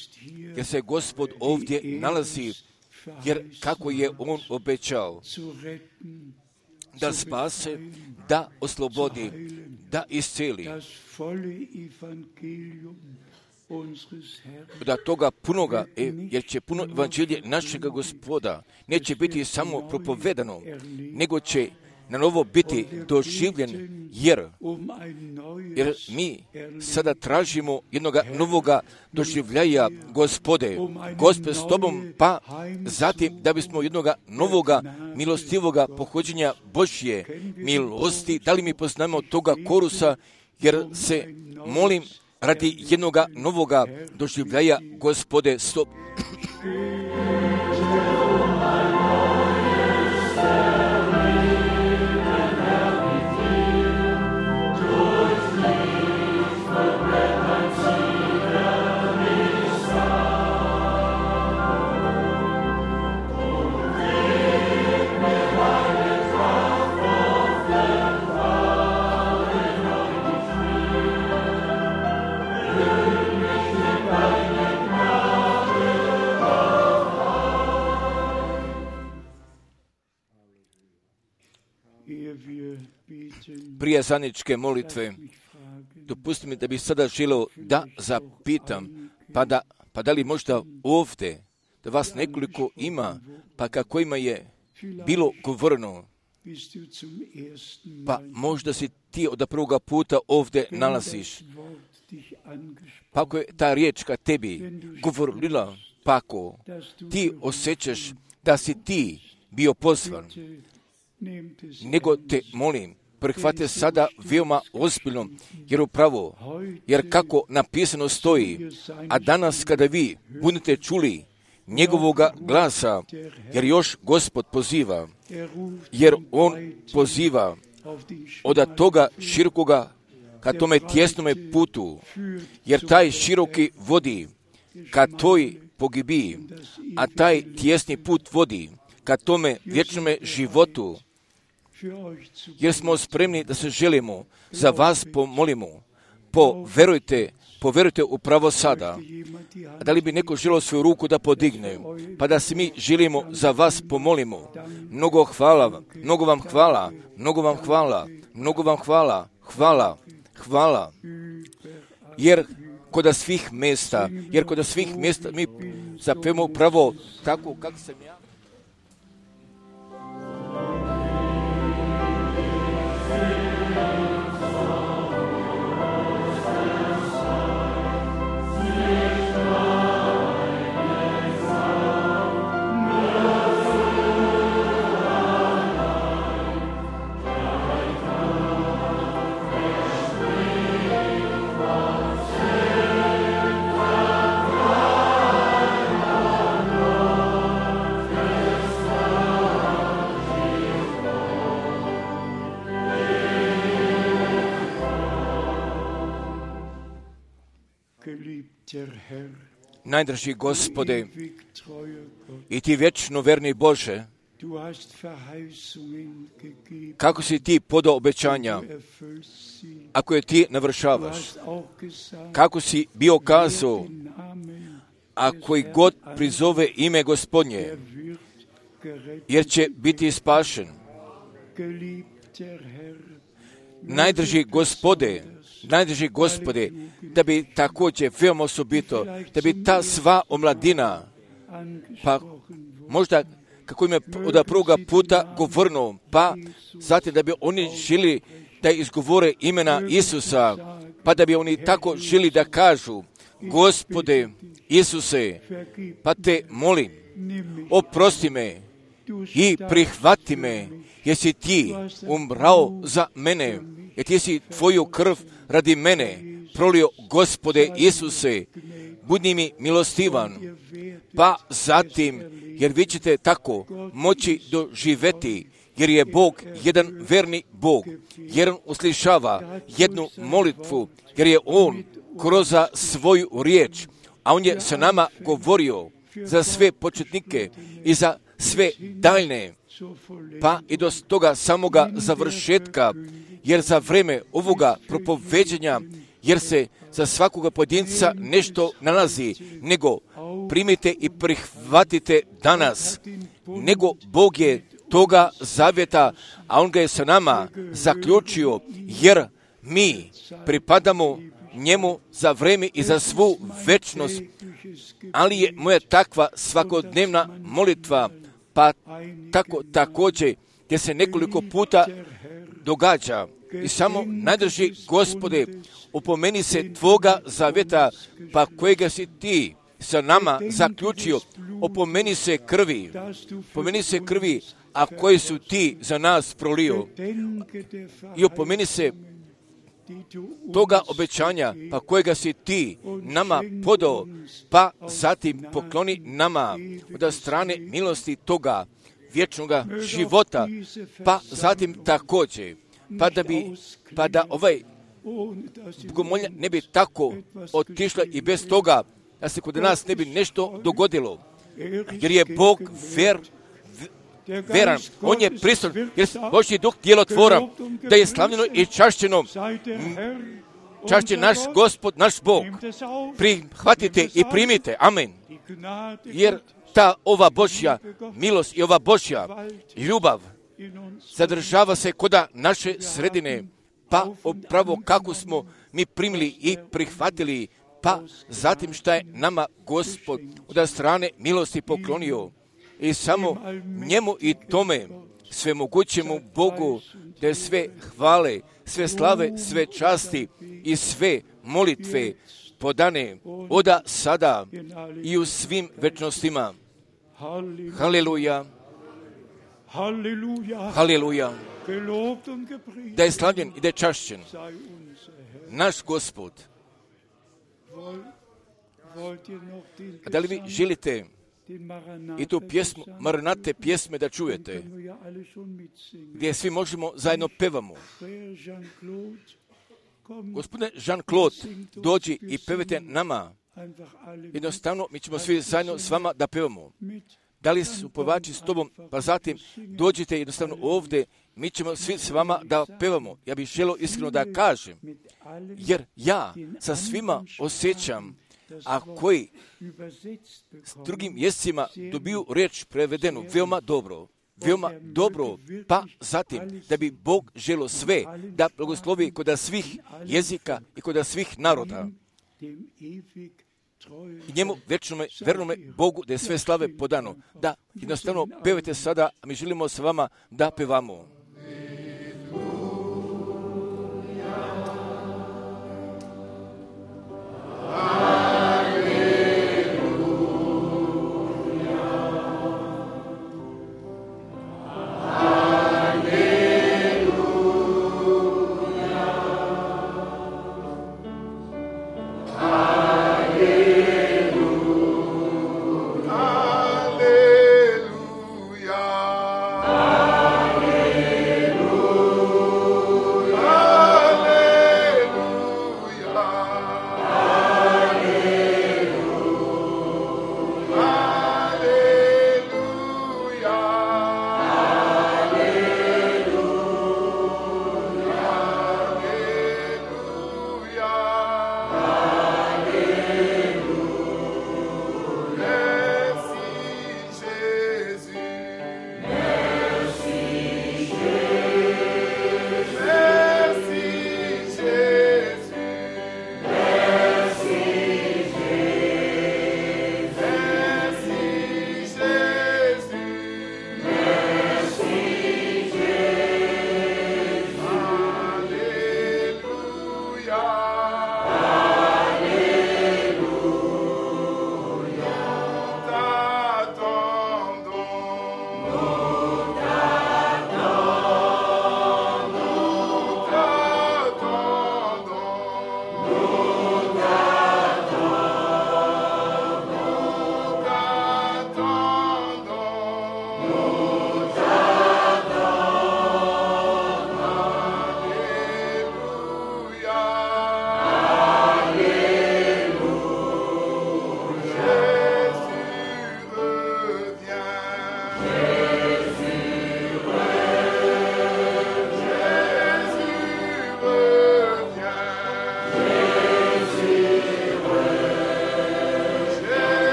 jer se Gospod ovdje nalazi, jer kako je On obećao da spase, da oslobodi, da isceli. Da toga punoga, jer će puno evanđelje našega Gospoda neće biti samo propovedano, nego će na novo biti doživljen, jer mi sada tražimo jednoga novoga doživljaja Gospode. Gospod s tobom, pa zatim da bismo jednoga novoga milostivoga pohođenja Božje milosti, da li mi poznamo toga korusa, jer se molim radi jednoga novoga doživljaja Gospode s tobom. Prije zajedničke molitve Dopustite mi da bih sada želio da zapitam, pa da li možda ovdje, da vas nekoliko ima, pa kako ima je bilo govoreno, pa možda si ti od prvoga puta ovdje nalaziš. Pa ako je ta riječ ka tebi govorila, pa ako ti osjećaš da si ti bio pozvan, nego te molim, prihvate sada veoma ozbiljno, jer kako napisano stoji, a danas kada vi budete čuli njegovoga glasa, jer još Gospod poziva, jer on poziva od toga širokoga ka tome tjesnome putu, jer taj široki vodi ka toj pogibiji, a taj tjesni put vodi ka tome vječnome životu, jer smo spremni da se želimo za vas pomolimo. Poverujte upravo sada. Da li bi neko želio svoju ruku da podigne, pa da se mi želimo za vas pomolimo. Mnogo hvala, mnogo vam hvala, mnogo vam hvala, mnogo vam hvala, hvala. Jer kod svih mjesta mi zapevamo upravo tako kako sam ja. Najdraži Gospode, i ti vječno verni Bože, kako si ti podao obećanja, ako je ti navršavaš, kako si bio kazao, ako i god prizove ime Gospodnje, jer će biti spašen. Najdraži Gospode, da bi također veoma osobito, da bi ta sva omladina, pa možda kako im je od prvoga puta govorno, pa zatim da bi oni želi da izgovore imena Isusa, pa da bi oni tako želi da kažu, Gospode Isuse, pa te molim, oprosti me i prihvati me, jer si ti umrao za mene, jer ti si tvoju krv radi mene prolio, Gospode Isuse, budi mi milostivan, pa zatim, jer vi ćete tako moći doživjeti, jer je Bog jedan verni Bog, jer on uslišava jednu molitvu, jer je on kroz svoju riječ, a on je sa nama govorio za sve početnike i za sve daljne, pa i do toga samoga završetka, jer za vreme ovoga propoveđenja, jer se za svakoga pojedinca nešto nalazi, nego primite i prihvatite danas, nego Bog je toga zavjeta, a on ga je sa nama zaključio, jer mi pripadamo njemu za vreme i za svu večnost, ali je moja takva svakodnevna molitva, pa tako također, gdje se nekoliko puta događa. I samo najdrži Gospode, upomeni se tvoga zavjeta, pa kojega si ti sa nama zaključio, opomeni se krvi, a koje su ti za nas prolio. I opomeni se toga obećanja, pa kojega si ti nama podao, pa zatim pokloni nama od strane milosti toga vječnoga života, pa zatim također, pa da ovaj bogomolja ne bi tako otišla i bez toga, da se kod nas ne bi nešto dogodilo, jer je Bog veran, on je prisutan, jer Božji duh djelotvoran, da je slavljeno i čašćeno. Čašće naš Gospod, naš Bog. Prihvatite i primite. Amen. Jer ta ova Božja milost i ova Božja ljubav zadržava se koda naše sredine, pa upravo kako smo mi primili i prihvatili, pa zatim šta je nama Gospod od strane milosti poklonio. I samo njemu i tome svemogućemu Bogu, te sve hvale, sve slave, sve časti i sve molitve podane oda sada i u svim večnostima. Haleluja. Haleluja. Da je slavljen i da je čašćen naš Gospod. A da li vi želite i tu pjesmu, Maranate pjesme da čujete, gdje svi možemo zajedno pevamo? Gospodine Jean-Claude, dođi i pevajte nama. Jednostavno, mi ćemo svi zajedno s vama da pevamo. Da li su pevači s tobom, pa zatim dođite jednostavno ovdje, mi ćemo svi s vama da pevamo. Ja bih želio iskreno da kažem, jer ja sa svima osjećam, a koji s drugim jezicima dobiju riječ prevedenu veoma dobro, pa zatim da bi Bog želio sve da blagoslovi kod svih jezika i kod svih naroda. I njemu vernome Bogu da je sve slave podano. Da jednostavno pevajte sada, a mi želimo s vama da pevamo.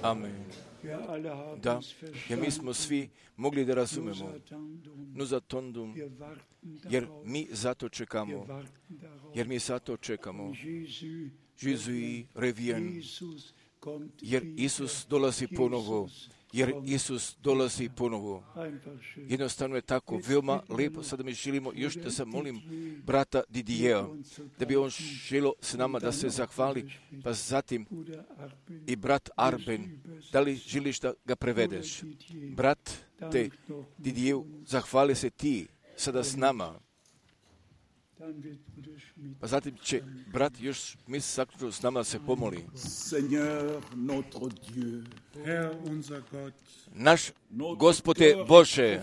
Amen. Da, jer mi smo svi mogli da razumemo. Nuza tondum, jer mi zato čekamo. Jésus revient, jer Isus dolazi ponovo. Jednostavno je tako, veoma lepo. Sada mi želimo još da se molim brata Didijea, da bi on želio s nama da se zahvali, pa zatim i brat Arben, da li želiš da ga prevedeš? Brat te Didijeu, zahvali se ti sada s nama. Pa zatim će brat još zaključno s nama se pomoli. Naš Gospode Bože,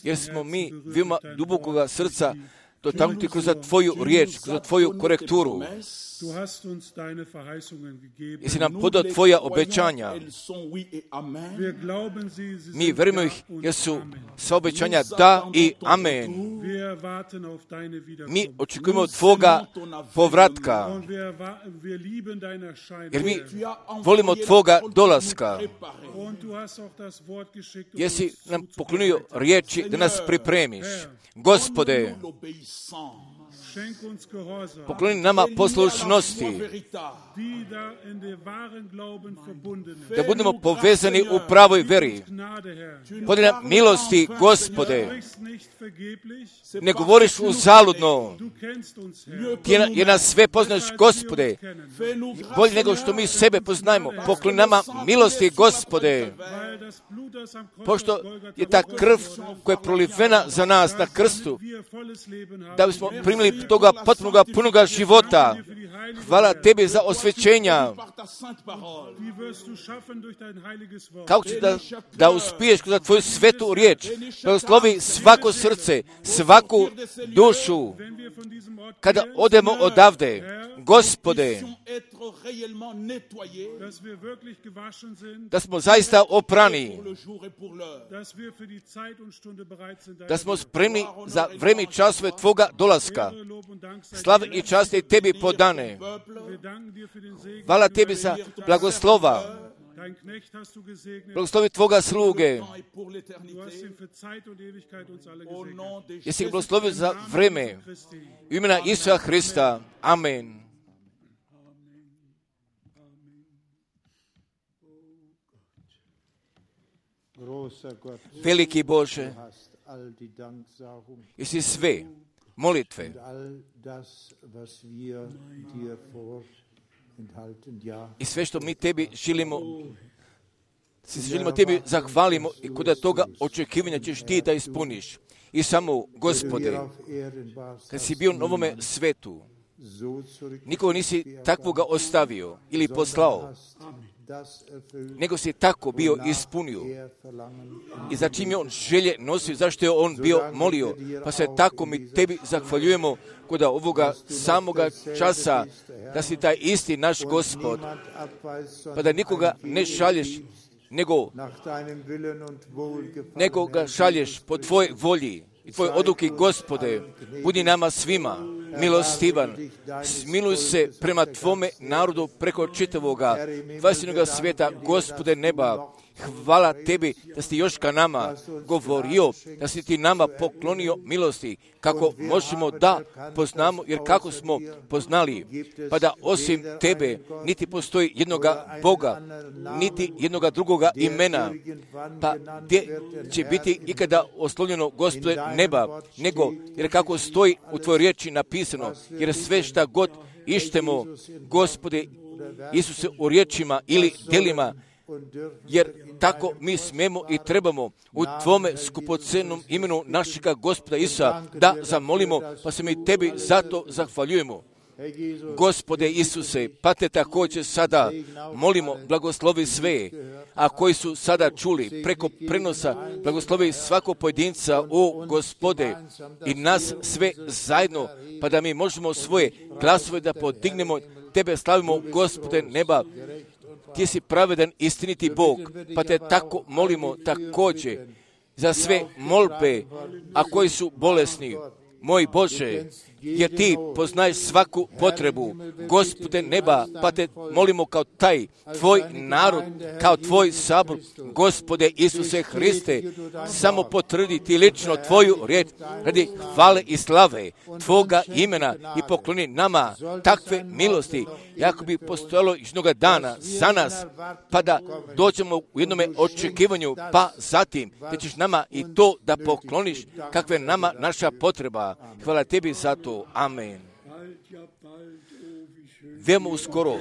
jer smo mi veoma dubokoga srca dotaknuti kroz Tvoju riječ, kroz Tvoju korekturu. Jesi nam podao Tvoja obećanja. Mi verujemo ih jer su sva obećanja da i amen. Mi očekujemo Tvoga povratka. Jer mi volimo Tvoga dolaska. Jesi nam poklonio riječi da nas pripremiš. Gospode, pokloni nama poslušnosti, da budemo povezani u pravoj veri. Podaj nam milosti, Gospode, ne govoriš uzaludno, jer nas sve poznaš, Gospode, bolje nego što mi sebe poznajemo. Pokloni nama milosti, Gospode, pošto je ta krv koja je prolivena za nas na krstu, da bismo primili toga potpunoga, punoga života. Hvala Tebi za osvećenja. Kako ćeš da uspiješ kroz Tvoju svetu riječ? Blagoslovi svako srce, svaku dušu. Kada odemo odavde, Gospode, da smo zaista oprani, da smo spremni za vreme i časove Tvoga dolaska. Slava i čast je Tebi podane. Hvala Tebi za blagoslova. Blagoslovi Tvoga sluge. Jesi ga blagoslovio za vreme. U imena Isusa Hrista. Amen. Veliki Bože, jesi sve molitve i sve što mi Tebi želimo Tebi zahvalimo i kod toga očekivanja ćeš Ti da ispuniš. I samo, Gospode, kad si bio na ovome svetu, nikoga nisi takvoga ostavio ili poslao, nego si tako bio ispunio. I za čim je on želje nosio, zašto je on bio molio, pa se tako mi Tebi zahvaljujemo kod ovoga samoga časa, da si taj isti naš Gospod, pa da nikoga ne šalješ, nego ga šalješ po Tvojoj volji i Tvoje odluke, Gospode. Budi nama svima milostivan. Smiluj se prema Tvome narodu preko čitavoga dvajestinoga svijeta, Gospode neba. Hvala Tebi da si još ka nama govorio, da si Ti nama poklonio milosti, kako možemo da poznamo, jer kako smo poznali, pa da osim Tebe niti postoji jednoga Boga, niti jednoga drugoga imena, pa gdje će biti ikada oslovljeno, Gospode neba, nego, jer kako stoji u Tvojoj riječi napisano, jer sve šta god ištemo, Gospode Isuse, u riječima ili djelima, jer tako mi smemo i trebamo u Tvome skupocenom imenu našega Gospoda Isusa da zamolimo, pa se mi Tebi zato zahvaljujemo. Gospode Isuse, pa Te također sada molimo, blagoslovi sve, a koji su sada čuli preko prenosa, blagoslovi svakog pojedinca, o Gospode, i nas sve zajedno, pa da mi možemo svoje glasove da podignemo, Tebe slavimo, Gospode neba. Ti si pravedan, istiniti Bog, pa Te tako molimo također za sve molbe, a koji su bolesni. moj Bože, jer Ti poznaješ svaku potrebu, Gospode neba, pa Te molimo kao taj Tvoj narod, kao Tvoj sabor, Gospode Isuse Hriste, samo potvrdi Ti lično Tvoju riječ radi hvale i slave Tvoga imena i pokloni nama takve milosti, jako bi postojalo jednoga dana za nas, pa da dođemo u jednome očekivanju, pa zatim Ti ćeš nama i to da pokloniš kakve nama naša potreba. Hvala Tebi za to. Amen. Veoma uskoro.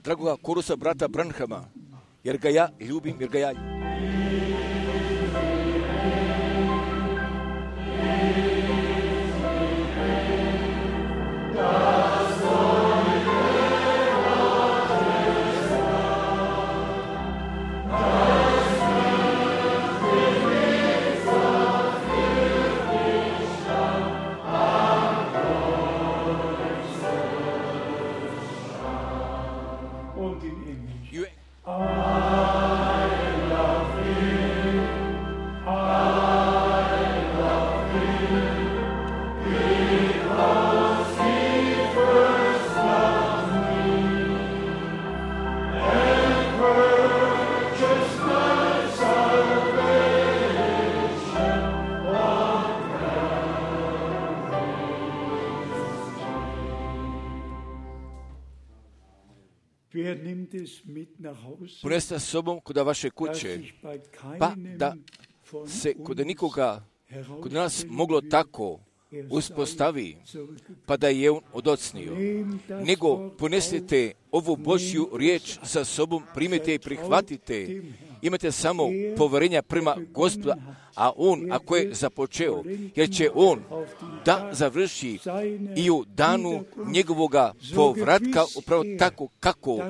Dragoga korusa brata Branhama, jer ga ja ljubim, jer ga ja poneste sa sobom kod vaše kuće, pa da se kod nikoga, kod nas moglo tako uspostavi, pa da je on odocnio. Nego ponesite ovu Božju riječ sa sobom, primite i prihvatite. Imate samo poverenja prema Gospoda, a on, ako je započeo, jer će on da završi i u danu njegovoga povratka, upravo tako kako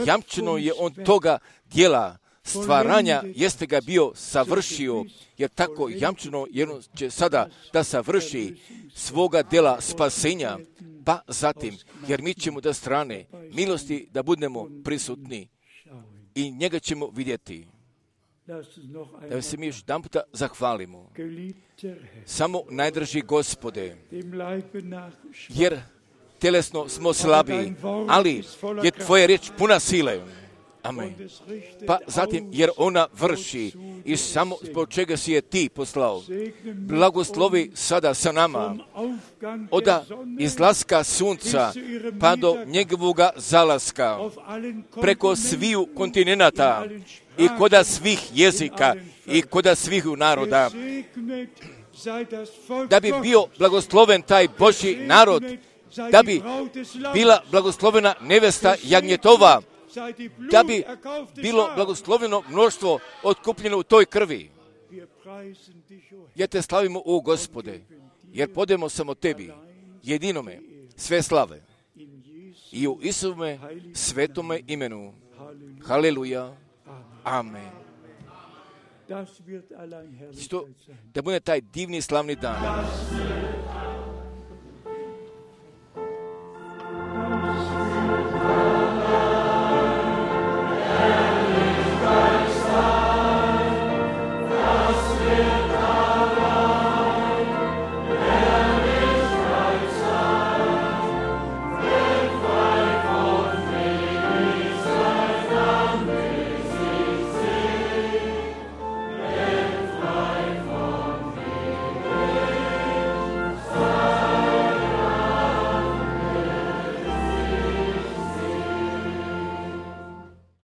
jamčeno je on toga dijela stvaranja, jeste ga bio savršio, jer tako jamčeno, jer on će sada da savrši svoga dela spasenja, pa zatim, jer mi ćemo da strane milosti da budemo prisutni i njega ćemo vidjeti. Da se mi još jedan puta zahvalimo. Samo najdraži Gospode, jer telesno smo slabi, ali je Tvoja riječ puna sile. Amen. Pa zatim, jer ona vrši i samo zbog čega si je Ti poslao. Blagoslovi sada sa nama od izlaska sunca pa do njegovoga zalaska, preko sviju kontinenata i koda svih jezika i koda svih naroda. Da bi bio blagosloven taj Božji narod, da bi bila blagoslovena nevesta jagnjetova, da bi bilo blagosloveno mnoštvo otkupljeno u toj krvi. Ja Te slavimo, o Gospode, jer podemo samo Tebi, jedinome, sve slave. I u Isuvome svetome imenu. Haleluja. Amen. Da bude taj divni slavni dan.